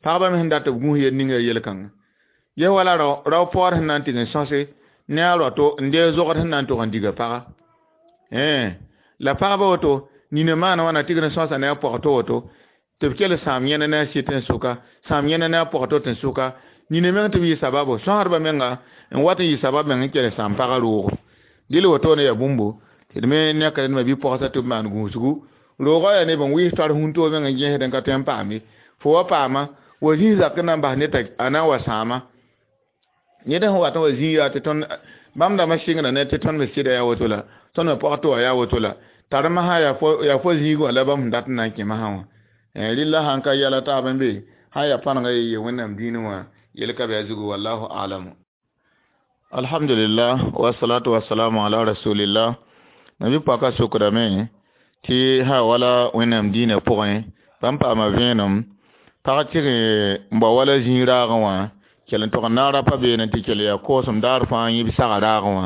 pagba me sẽn dat b gũus yel ninga yel-kãnga ye wala rao rao paoor sẽn na n tɩg n sõse ne a rato n deeg zogd sẽn na n tog n diga paga la pagba woto nina maana wãna tɩgd n sõsa ne a pɔg to woto tɩ b kell sãam yẽna ne a sɩt n sʋka sãam yẽna ne a pɔg to tɩ n sʋka nina meng tɩ b yɩ sababo sõsdbã menga n wat n yɩ sabab meng n kell sãam pagã roogo dɩl wotone yaa bũmbu tɩ d me nekd me bɩ pɔgsa tɩ b maan gũusgu roogã yaa neb n wɩɩs tar wĩntoog meng n gẽsd n ka tõe n paam ye Fo wa paama wa zĩig zak n na n bas ned t'a a na n wa sãama ned sẽn wat n wa zĩig yaa tɩ tõnd bãmb dãmbã sɩngda ne tɩ tõnd me sɩda yaa woto la tõnd me pɔg tɩ wa yaa woto la tar masã yaa fo zĩig wã la bãmb sẽn dat n na n kẽ masã wã rɩlla sãn ka yɛla taab n be sã n yaa pãnega ye ye wẽnnaam dĩinẽ wã yel ka be a zugu wallahu alamu. Alhamdulillah wasalatu wasalamu ala rasulillah. Nabi paka sokdame tɩ sã wala wẽnnaam dĩinã pʋgẽ bãmb paama vẽenem pag tɩg n bao wala zĩig raagẽ wã kell n tog n naag rapa beene tɩ kell yaa koosem daar fãa yẽ b saga raagẽ wã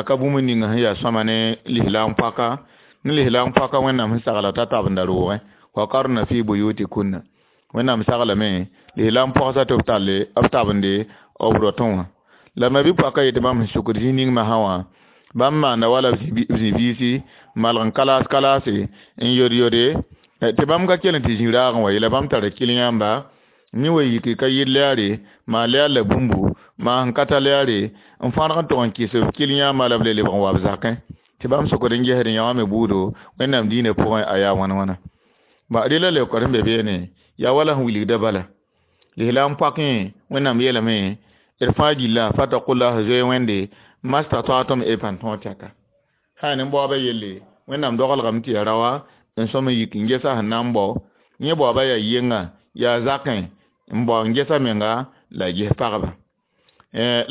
ka bũmb ninga sẽn yaa sõma ne lislaam paka ne lislaam paka wẽnnaam sẽn sagla t'a tabenda roogẽ wa qarna fi buyutikunna wẽnnaam saglame lislaam pɔgsa tɩ b talle b tabende b rotẽ wã la ma bɩ paka yetɩ bãmb sẽn sukd zĩig ning masã wã bãmb maanda wala b zĩ-biisi malg n kalaas kalaase n yod yode tɩ bãmb ka kell n tɩ zĩ raagẽ wa ye la bãmb tara kɩl yãmba mi wa yiki ka yɩl lɛɛre maa lɛɛr la bũmbu maa sẽn ka ta lɛɛre n fãrg n tog n kɩs b kɩl yãamba la b le lebg n wa b zakẽ tɩ bãmb sokd n gesd n yã wã me buudo wẽnnaam dĩinã pʋgẽ a yaa wãn wãna ba rɩla leookd sẽn be beene yaa wala sẽn wilgda bala lislaam pɔkẽ wẽnnaam yeelame d fãa gilla fatakullah zoe wẽnde mastataatum e pãn tõog tɛka sã yaa nin-baoobã yelle wẽnnaam dogelgame tɩ ya raoa n sõm n yik n gesa sẽn na n bao yẽ baoobã yaa yenga yaa zakẽ n bao n gesa menga la a ges pagba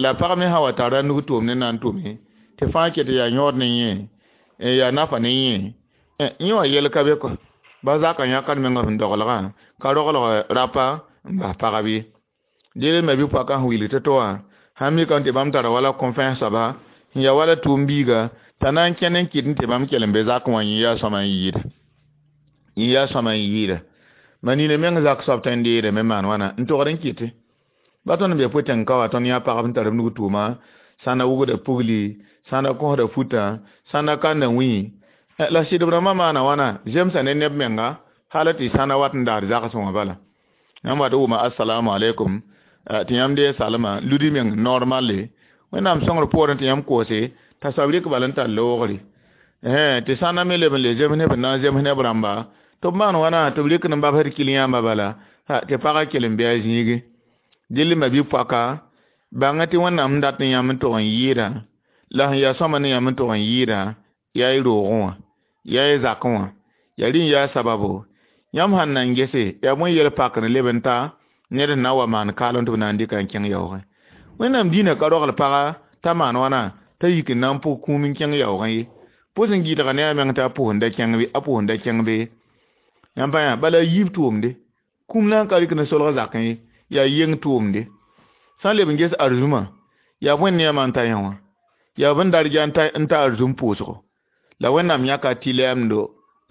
la pag me sã wa tara nug tʋʋm ne na n tʋme tɩ fãa ket yaa yõod ne yẽ yaa nafa ne yẽ yẽ wã yɛl ka be kɔ ba zakã yãkd menga sẽn dogelgã ka rogelg rapa n bas pagb ye deel ma bɩ pɔka sẽn wilg tɩ to wã sãn mikame tɩ bãmb tara wala kõ-fães soaba sẽn yaa wala tʋʋm biiga t'a na n kẽnd n kɩt n tɩ bãmb kell n be zakẽ wã yẽ yaa sõma n yɩɩda yẽ yaa sõma n yɩɩda ma nina meng zak soab tõe n deedame maan wãna n togd n kɩte ba tõnd n be pʋ-tẽng ka wa tõnd yã pagb n tar b nug tʋʋma sã na wugda pugli sã na kõsda futã sã na kanda wĩ la sɩdb rãmbã maana wãna zemsa ne neb menga hal tɩ sã na wat n daar zagsẽ wã bala yãmb wat wʋma assalamu alaikum tɩ yãmb dee salma ludi meng normalle wẽnnaam sõngr poorẽ tɩ yãmb koose t'a soab rɩk bal n tar loogre tɩ sãnda me leb n le zems neb n na n zems neb rãmba tɩ b maan wãna tɩ b rɩk n babsd kɩl yãmba bala tɩ pagã kell n bɩ a zĩigi dɩl ma bɩ pɔka bãnga tɩ wẽnnaam sẽn dat n yãmb n tog n yɩɩdã la sẽn yaa sõma ne yãmb n tog n yɩɩdã yaa y roogẽ wã yaa y zakẽ wã yaa rẽ n yaa sababo yãmb sãn na n gese yaa bõe yel pakr n leb n ta ned sẽn na n wa maan kaalem tɩ b na n dɩka n kẽng yaoogẽ wẽnnaam dĩinã ka rogl paga t'a maan wãna t'a yik n na n pʋg kũum n kẽng yaoogẽ ye pʋs n gɩdga ne a meng t'a pʋsẽnda kẽng be a pʋsẽnda kẽng be yãmb pa yã bala a yiib tʋʋmde kũum na n ka rɩk ne solg zakẽ ye yaa yeng tʋʋmde sã n leb n ges arzũmã yaa bõe ne yãmã n ta yã wã yaa bẽn darja n ta arzũm pʋʋsgo la wẽnnaam yãka tɩ lɛɛmdo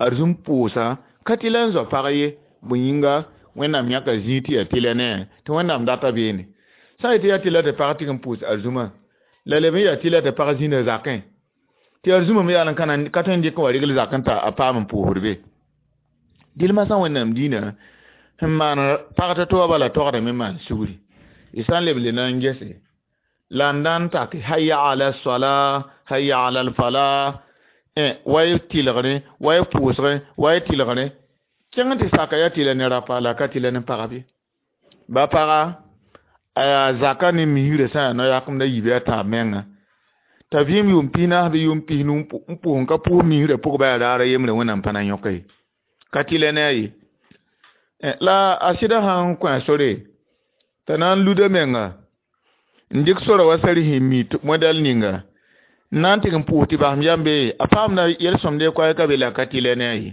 arzũm pʋʋsa ka tɩ la n zao pag ye bõe yĩnga wẽnnaam yãka zĩig tɩ yaa tɩlɛ ne tɩ wẽnnaam data beene sã n yetɩ yaa tɩla tɩ pag tɩg n pʋʋs arzũmã la leb n yaa tɩla tɩ pag zĩnda zakẽ tɩ arzũmã me yaa n ka tõe n dɩk n wa regl zakẽ t'a a paam n pʋʋsd be dɩl masã wẽnnaam dĩinã sẽn maan pag tɩ to wã bala togdame maan sugri y sã n leb le na n gese la n na n take hayya ala sala hayya ala alfala wa y tɩlgre wa y pʋʋsgẽ wa y tɩlgre kẽng tɩ saka yaa tɩla ne rapa la ka tɩla ne pagb ye ba paga a yaa zaka ne misrã sã yaa no-yakemd a yiib a tãab menga t'a vɩɩm yʋʋm pis-naas bɩ yʋʋm pis-nu n pʋs n ka pʋʋs misrã pʋgba yaa raara yembre wẽnnaam pa na yõka ye ka tɩla ne a ye la a sɩda sã n kõ a sore t'a na n luda menga n dɩk sora wa sar sẽn mi modɛl ninga n na n tɩg n pʋʋs tɩ basem yambe a paamda yel-sõmde koɛɛg ka be la ka tɩlɛ ne a ye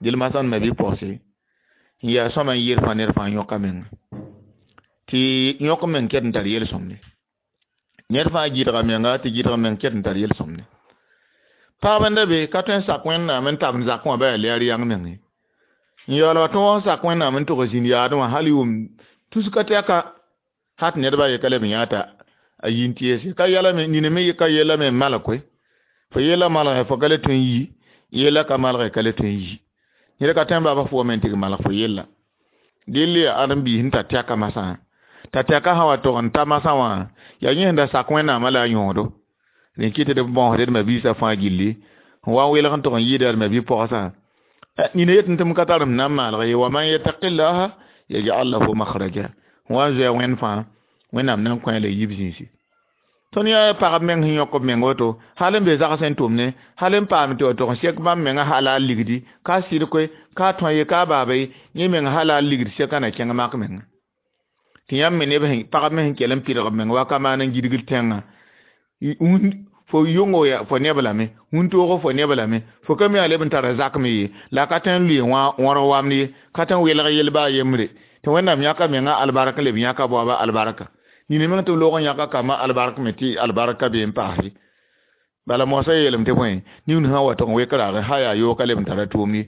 dɩl masãn ma bɩ-pɔgse n yaa sõma n yɩɩd fãa ned fãa yõka menga tɩ yõk meng ket n tar yel-sõmde ned fãa gɩdga menga tɩ gɩdg meng ket n tar yel-sõmde pagb n da be ka tõe n sak wẽnnaam n tabend zakẽ wã ba yaa lɛɛr yãng meng ye n yaool wa tõog n sak wẽnnaam n tog zĩnd yaadẽ wã hal yʋʋm tuska tɛka hat nedba ye ka leb n yã t'a a yi n tɩ ka yɛlame nina me ka yeelame n malg koe fo yeela malgẽ fo ka le tõe n yi yeela ka malgẽ ka le tõe n yi ned ka tõe n baaba fo wame n tɩg malg fo yella dɩl yaa ãdem-biis sẽn tar tɛka masã t'a tɛka sã wa tog n ta masã wã yaa yẽ sẽn da sak wẽnnaamã la a yõodo rẽ kɩ tɩ d bõosd d mabiisã fãa gilli n wa n welg n tog n yɩɩda d mabi-pɔgsã Nina yetɩ tɩ m ka tar m na n maalg ye wa man yattaqillaha yaj'al lahu makhraja wã n zoa wẽnd fãa wẽnnaam na n kõ la yib zĩisi tõnd yaa pagb meng sẽn yõk b meng woto hal n be zags n tʋmne hal n paam tɩ wa tog n sek bãmb menga halal ligdi ka sɩd koe ka tõe ye ka baaba ye yẽ meng halal ligd seka na kẽng mak menga tɩ yãmb me neb pagb me sẽn kell n pɩdg b meng wa ka maan n gidgd tẽngã fo yongo ya fo neb lame wũntoogo fo neb lame fo ka mi a leb n tara zak me ye la ka tõe n lʋɩ wõrg wamd ye ka tõe n welg yel baa yembre tɩ wẽnnaam yãka menga albark n leb yãka baoaba albarka nina meng tɩ b loog n yãka kambã albark me tɩ albarka bee n paase bala moasã yeelame tɩ bõe nin sã wa tɩg n wek raage sã yaa yoog ka leb n tara tʋʋmd ye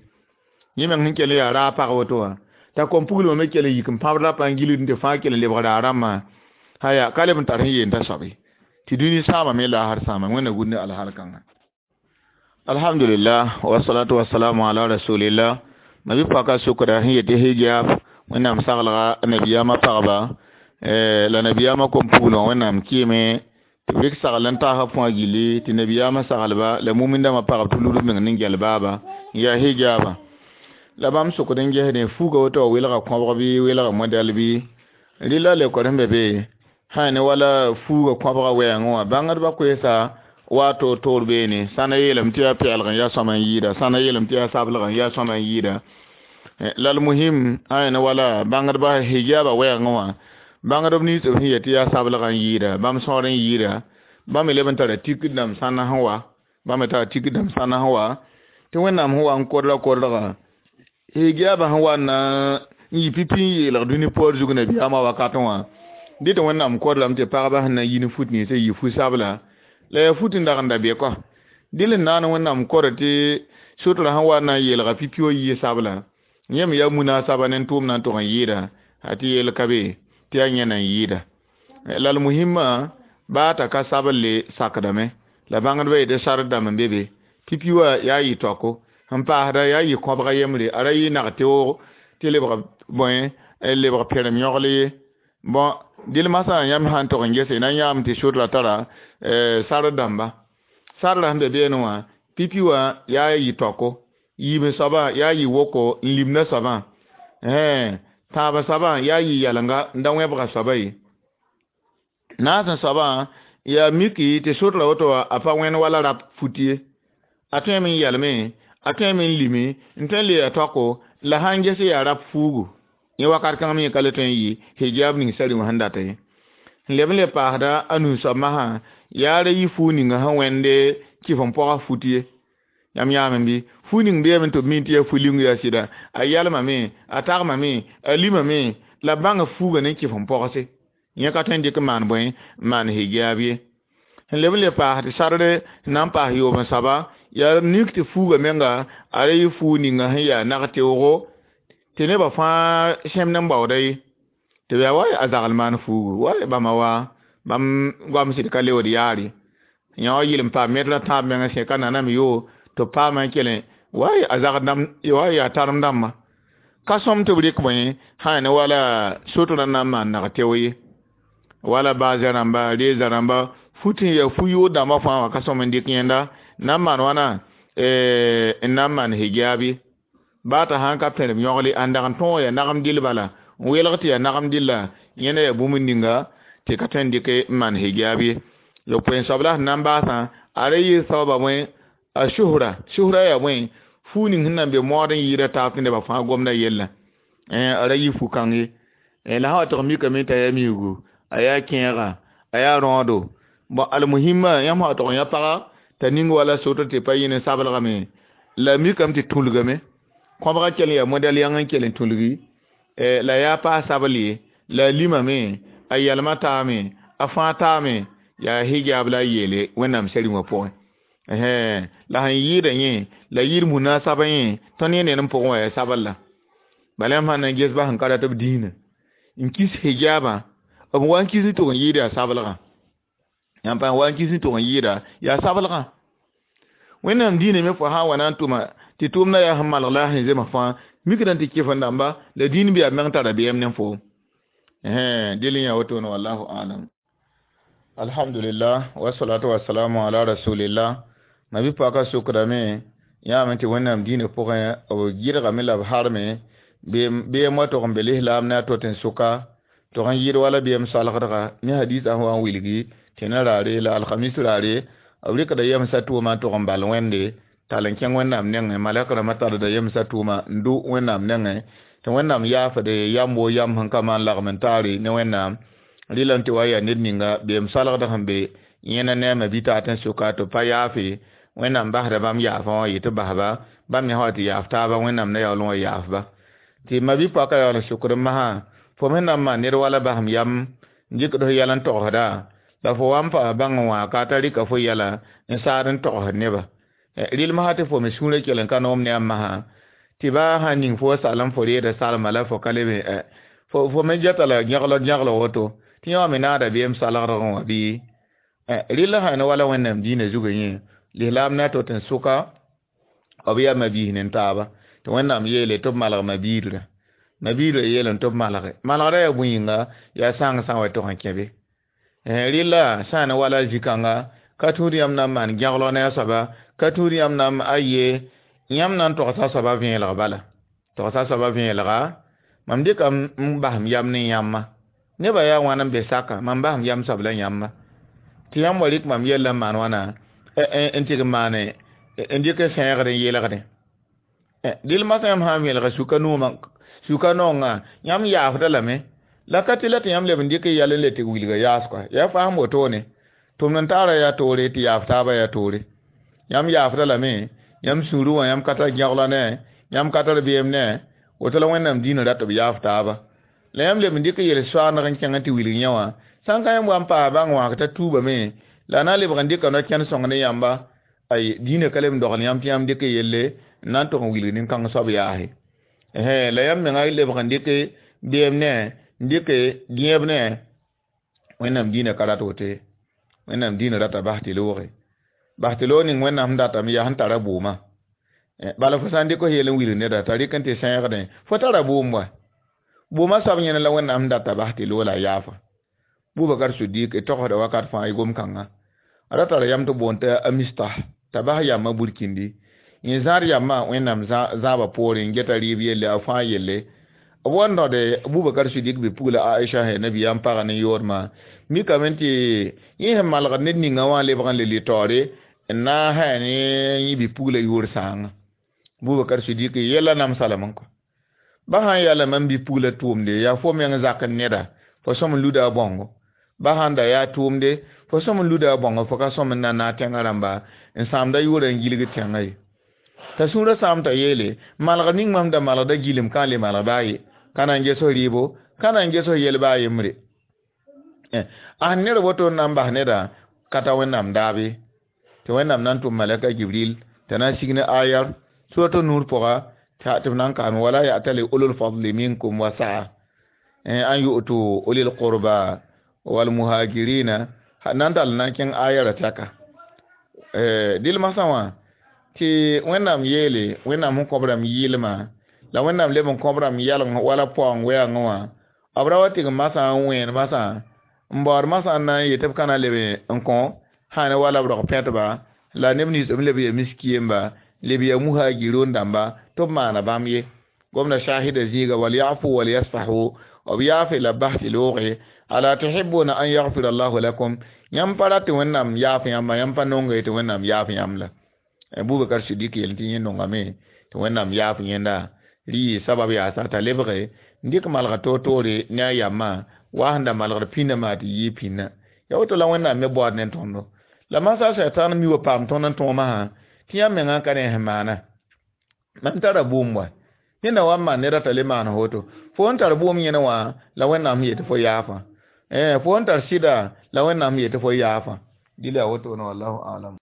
yẽ meng sẽn kell n yaa raag pag woto wã t'a kom puglmã me kell n yik n pãb rapa n gilgd tɩ fãa kell n lebg raag rãmbã sã yaa ka leb n tar sẽn yeen t'a soabe tɩ dũni sãamame laasr sãama wẽnna gũud ne alhal kãnga alhamdulillah wasalatu wasalamu ala rasulillah mabi paka sʋkda sẽn yetɩ hijab wẽnnaam saglga nabiyaamã pagba la nabiyaamã kom puglã wẽnnaam kɩɩme tɩ b rɩk sagl n taasã fõa gilli tɩ nabiyaamã saglba la mumindãmbã pagb tɩ lud b meng ne gɛl baaba n yaa hijaba la bãmb sʋkd n gesdẽ fuuga woto wa welga kõbg bɩ welga modɛl bɩ rɩla lekor sẽn be be sã ne wala fuuga kõbga wɛɛngẽ wã bãngdbã koeesa wa toor-toor beene sãna yeelame tɩ yaa pɛɛlg n yaa sõma n yɩɩda sãna yeelame tɩ yaa sablg n yaa sõma n yɩɩda la l muhim sã ne wala bãngdbã hijaba wɛɛngẽ wã bãngdb nins b sẽn yet tɩ yaa sablg n yɩɩda bãmb sõor n yɩɩda bãmb me leb n tara tikd dãmb sãna sẽn wa bãmb me tara tikd dãmb sãna sẽn wa tɩ wẽnnaam sẽn wa n kodra kodrga hijaba sẽn wa na n yɩ pipi n yeelg dũni poor zug nabiyaamã wakatẽ wã dɩ tɩ wẽnnaam kodrame tɩ pagba sẽn na n yi ne fut ninsã yɩ fu-sabla la yaa fut n dag n da be kɔ dɩl n naan wẽnnaam kora tɩ sotra sẽn wa na n yeelga pipi wã yɩ sabla yẽ me yaa munaasaba ne n tʋʋm na n tʋg n yɩɩda a tɩ yeel ka be tɩ yaa yẽna n yɩɩda la l muhimã baa t'a ka sabl sakdame la bãngdbã yetɩ sard dãmb n be be pipi wã yaa yɩ taoko sẽn paasda yaa yɩ kõbga yembre a ra yɩ nag-teoog tɩ lebg bõe lebg pẽrem yõgl ye bon dɩl masã yãmb sã n tog n gese na n yãame tɩ sotra tara sard dãmba sardã sẽn be beene wã pipi wã yaa yɩ taoko yiime soabã yaa yɩ woko n limda soabã tãabã soabã yaa yɩ yɛlenga n da wẽbga soaba ye naasẽ soabã yaa miki tɩ sotra woto wã a pa wẽnd wala rap fut ye a tõeme n yɛlme a tõeme n lime n tõe n le ya taoko la sã n ges yaa rap fuugu yẽ wakat kãng me yẽ ka le tõe n yɩ hijab ning sari wã sẽn data ye n leb n le paasda a nus soab masã yaa ra yɩ fuug ninga sẽn wẽnde kɩf n pɔga fut ye yãmb yãame bɩ fu ning beeme tɩ b mi tɩ yaa fu-ling yaa sɩda a yɛlmame a tagmame a limame la b bãnga fuuga ne kɩf n pɔgse yẽ ka tõe n dɩk n maan bõe n maan hijab ye sẽn leb n le paas tɩ sardre sẽn na n paas yoob n soaba yaa nik tɩ fuuga menga a ra yɩ fuug ninga sẽn yaa nag-teoogo tɩ nebã fãa sẽmd n baooda ye tɩ b yaa wa a zagl maan fuugu wa bãmba wa bãmb goam sɩd ka leood yaare yã wa yɩl n paam metrã tãab meng sẽka naname yo tɩ b paama n kelẽ wa a zagd dãmb wa yaa tarem dãmbã ka sõm tɩ b rɩk bõe sã ne wala sotrã na n maan nag-teo ye wala baazã rãmba reeza rãmba fut n yaa fu-yood dãmbã fãa wã ka sõm n dɩk yẽnda na n maan wãna n na n maan hijab ye baa t'a sãn ka pẽrem yõgle a n dag n tõog yaa nagem dɩl bala n welg tɩ yaa nagem dɩlla yẽnda yaa bũmb ninga tɩ ka tõe n dɩk n maan hijab ye yo poen soab la sẽn na n baasã a ra yɩ sababa bõe a suhra suhra yaa bõe fuu ning sẽn na n be mood n yɩɩda taab tɩ nebã fãa gomda yella a ra yɩ fu-kãng ye la sã wa tɩg mikame t'a yaa miigu a yaa kẽega a yaa rõodo bon almuhimma yãmb sã wa tʋg n yã paga t'a ning wala sotr tɩ pa yɩ ne sablgame la mikame tɩ tũlgame kõbga kell n yaa modɛl yãng n kell n tũlgi la yaa paa sabl ye la a limame a yɛlmã taame a fãa taame yaa hijab la a yeele wẽnnaam sari wã pʋgẽ la sẽn yɩɩda yẽ la yɩɩd munasaba yẽ tõnd yẽ ned n pʋgẽ wã yaa sabl la bala yãmb sãn na n ges ba sẽn ka rat b dĩinã n kis hijabã b wa n kis n tʋg n yɩɩd yaa sablgã yãmb pa wa n kis n tʋg n yɩɩda yaa sablgã wẽnnaam dĩinã me fo sã n wa na n tʋma tɩ tʋʋmdã yaa sẽn malg la a sẽn zemg fãa mikdã tɩ kɩf n dãmba la dĩin bɩ yaa meng tara beem ne foom dɩl n yaa wotone wallahu alam alhamdulillah wasalatu wasalamu ala rasulillah mabi paka sʋkdame Yãame tɩ Wẽnnaam dĩinã pʋgẽ b gɩdgame la b harme beem wa tog n be lislaam ne a to tɩ n sʋka tog n yɩɩd wala beem salgdga ne hadisã sẽn wa n wilgi tẽna raare la alhamis raare b rɩkda yemsã tʋʋma n tog n bal Wẽnde tall n kẽng Wẽnnaam nengẽ malɛk rãmbã tarda yemsã tʋʋma n dʋ Wẽnnaam nengẽ tɩ Wẽnnaam yaafde yam woo yam sẽn ka maan lagm n taare ne Wẽnnaam rɩlame tɩ wa yaa ned ninga beem salgd sẽn be yẽna ne a ma bi-taat n sʋka tɩ b pa yaafe Wẽnnaam basda bãmb yaafã wã yetɩ basba bãmb me sã wa tɩ yaaf taaba Wẽnnaam na yaool n wa yaafba tɩ ma-bi-poaka yaool n sʋkd n masã fo me na n maan ned wala basem yam n dɩkd f yɛl n togsda la fo wa n paas bãng n wã ka t'a rɩka fo yɛla n saad n togsd neba rɩl masã tɩ fo me sũurã kell n ka noom ne a masã tɩ baa sã n ning fo salem fo reeda salma la fo ka lebe fo fo me geta la gẽglg gẽgl woto tɩ yã wã me naada beem salgdgẽ wã bɩ rɩl sã ne wala Wẽnnaam dĩinã zugã yẽ lislaam na to tɩ n sʋka b yaa mabiis ne taaba tɩ Wẽnnaam yeele tɩ b malg mabiidrã mabiidrã yeel tɩ b malge malgrã yaa bõe yĩnga yaa sãng sã n wa tog n kẽ be rɩla sã ne wala zĩ-kãnga ka tũud yãmb na n maan gẽglg ne a soaba ka tũud yãmb na n aye yãmb na n togsa soaba vẽelg bala togsa soaba vẽelga mam dɩka n basem yam ne yãmba nebã yaa wãn n be saka mam basem yam soab la yãmba tɩ yãmb wa rɩk mam yella n maan wãna n tɩg n maane n dɩk n sẽegd n yelgdẽ dɩl masã yãmb sã n vẽelga suka noomã suka naongã yãmb yaafda lame la ka tɩ la tɩ yãmb leb n dɩk y yɛl n le tɩ wilga yaas koa yaa fasem wotone tʋmd n taara yaa toore tɩ yaaf taabã yaa toore yãmb yaafda lame yãmb sũurẽ wã yãmb ka tar gẽgla ne yãmb ka tar beem ne woto la Wẽnnaam dĩinã rat b yaaf taaba la yãmb leb n dɩk yel-soaandg n kẽng tɩ wilg yẽ wã sã n ka yãmb wa n paas bãng wã t'a tuubame la a na n lebg n dɩka no-kẽnd sõng ne yãmba ay dĩinã ka leb n dogl yãmb tɩ yãmb dɩk yelle n na n tog n wilg nin-kãng soab yaase la yãmb menga lebg n dɩk beem ne n dɩk gẽeb ne Wẽnnaam dĩinã ka rat woto ye Wẽnnaam dĩinã rata bas tɩ looge bas tɩ loog ning Wẽnnaam sẽn datame yaa sẽn tara bʋʋmã bala fo sã n dɩk f yell n wilg neda t'a rɩk n tɩ sẽegdẽ fo tara bʋʋm wa bʋʋmã soab yẽna la Wẽnnaam sẽn data bas tɩ loog la a yaafa Bubakar Siddiq y togsda wakat fãa y gom-kãngã a ra tara yam tɩ boond t'a a Mistah t'a bas yambã burkindi yẽ zãad yambã Wẽnnaam zãabã poorẽ n geta rɩɩb yelle a fãa yelle b wa n rõde Bubakar Siddiq bi-pugla Aisha sẽn nabiyaam pagã ne yoodmã mikame tɩ yẽ sẽn malgd ned ninga wã lebg n le lɩ taoore n na n sã ne yẽ bi-pugla yʋʋr sãanga Bubakar Siddiq yɛla namsa lame n kɔ ba sã n yaa la mam bi-pugla tʋʋmde yaa fo meng zak n neda fo sõm n luda a bãongo ba sãn da yaa tʋʋmde fo sõm n luda a bãongo fo ka sõm n na naag tẽngã rãmba n sãamda yʋʋrã n gilg tẽngã ye t'a sũurã sãam t'a yeele malgd ning mam da malgda gilem ka n le malg baa ye ka na n ges f rɩɩbo ka na n ges f yel baa yembre a sẽn ned woto n na n bas neda ka ta Wẽnnaam daab ye tɩ Wẽnnaam na n tʋm malɛka Jibril t'a na n sig ne ayar surato Nur pʋga tɩ b na n kaame wala ya'tali ulul fadli minkum wa sa'a an yu'tu ulil qurba wal muhajirina nan dal na n kẽng ayara tɛka dɩl masã wã tɩ Wẽnnaam yeele Wẽnnaam sẽn kõb rãmb yɩɩlmã la Wẽnnaam leb n kõb rãmb yɛlg wala paoong wɛɛngẽ wã b ra wa tɩg masã n wẽen masã n baood masã n na n yetɩ b ka na leb n kõ sã ne wala b rog pẽtba la neb nins b leb ya miskiyemba leb ya muhajirun dãmba tɩ b maana bãmb ye gomda shahida zĩiga wal yafu wal yasfahu b yaafe la bas tɩ looge ala tuhibuna an yaghfira Allahu lakum yãmb pa rat tɩ Wẽnnaam yaaf yãmba yãmb pa nonga ye tɩ Wẽnnaam yaaf yãmb la Bubakar Siddiq yel tɩ yẽ nongame tɩ Wẽnnaam yaaf yẽnda rɩ sabab yaasa t'a lebge n dɩk malga toor-toore ne a yambã wa sẽn da malgd pĩnã maa tɩ yɩɩ pĩnã ya woto la Wẽnnaam me baood ne tõndo la masã sɛtãan mi wa paam tõnd n tõomã sã tɩ yãmb mengã ka ne sẽn maana mam tara bʋʋm wa ned na wa n maan ned t'a le maan woto fo n tar bʋʋm yẽne wã la Wẽnnaam sẽn yetɩ fo yaafa fo n tar sɩda la Wẽnnaam sẽn yetɩ fo yaafa dɩla yaa wotone wallahu alam.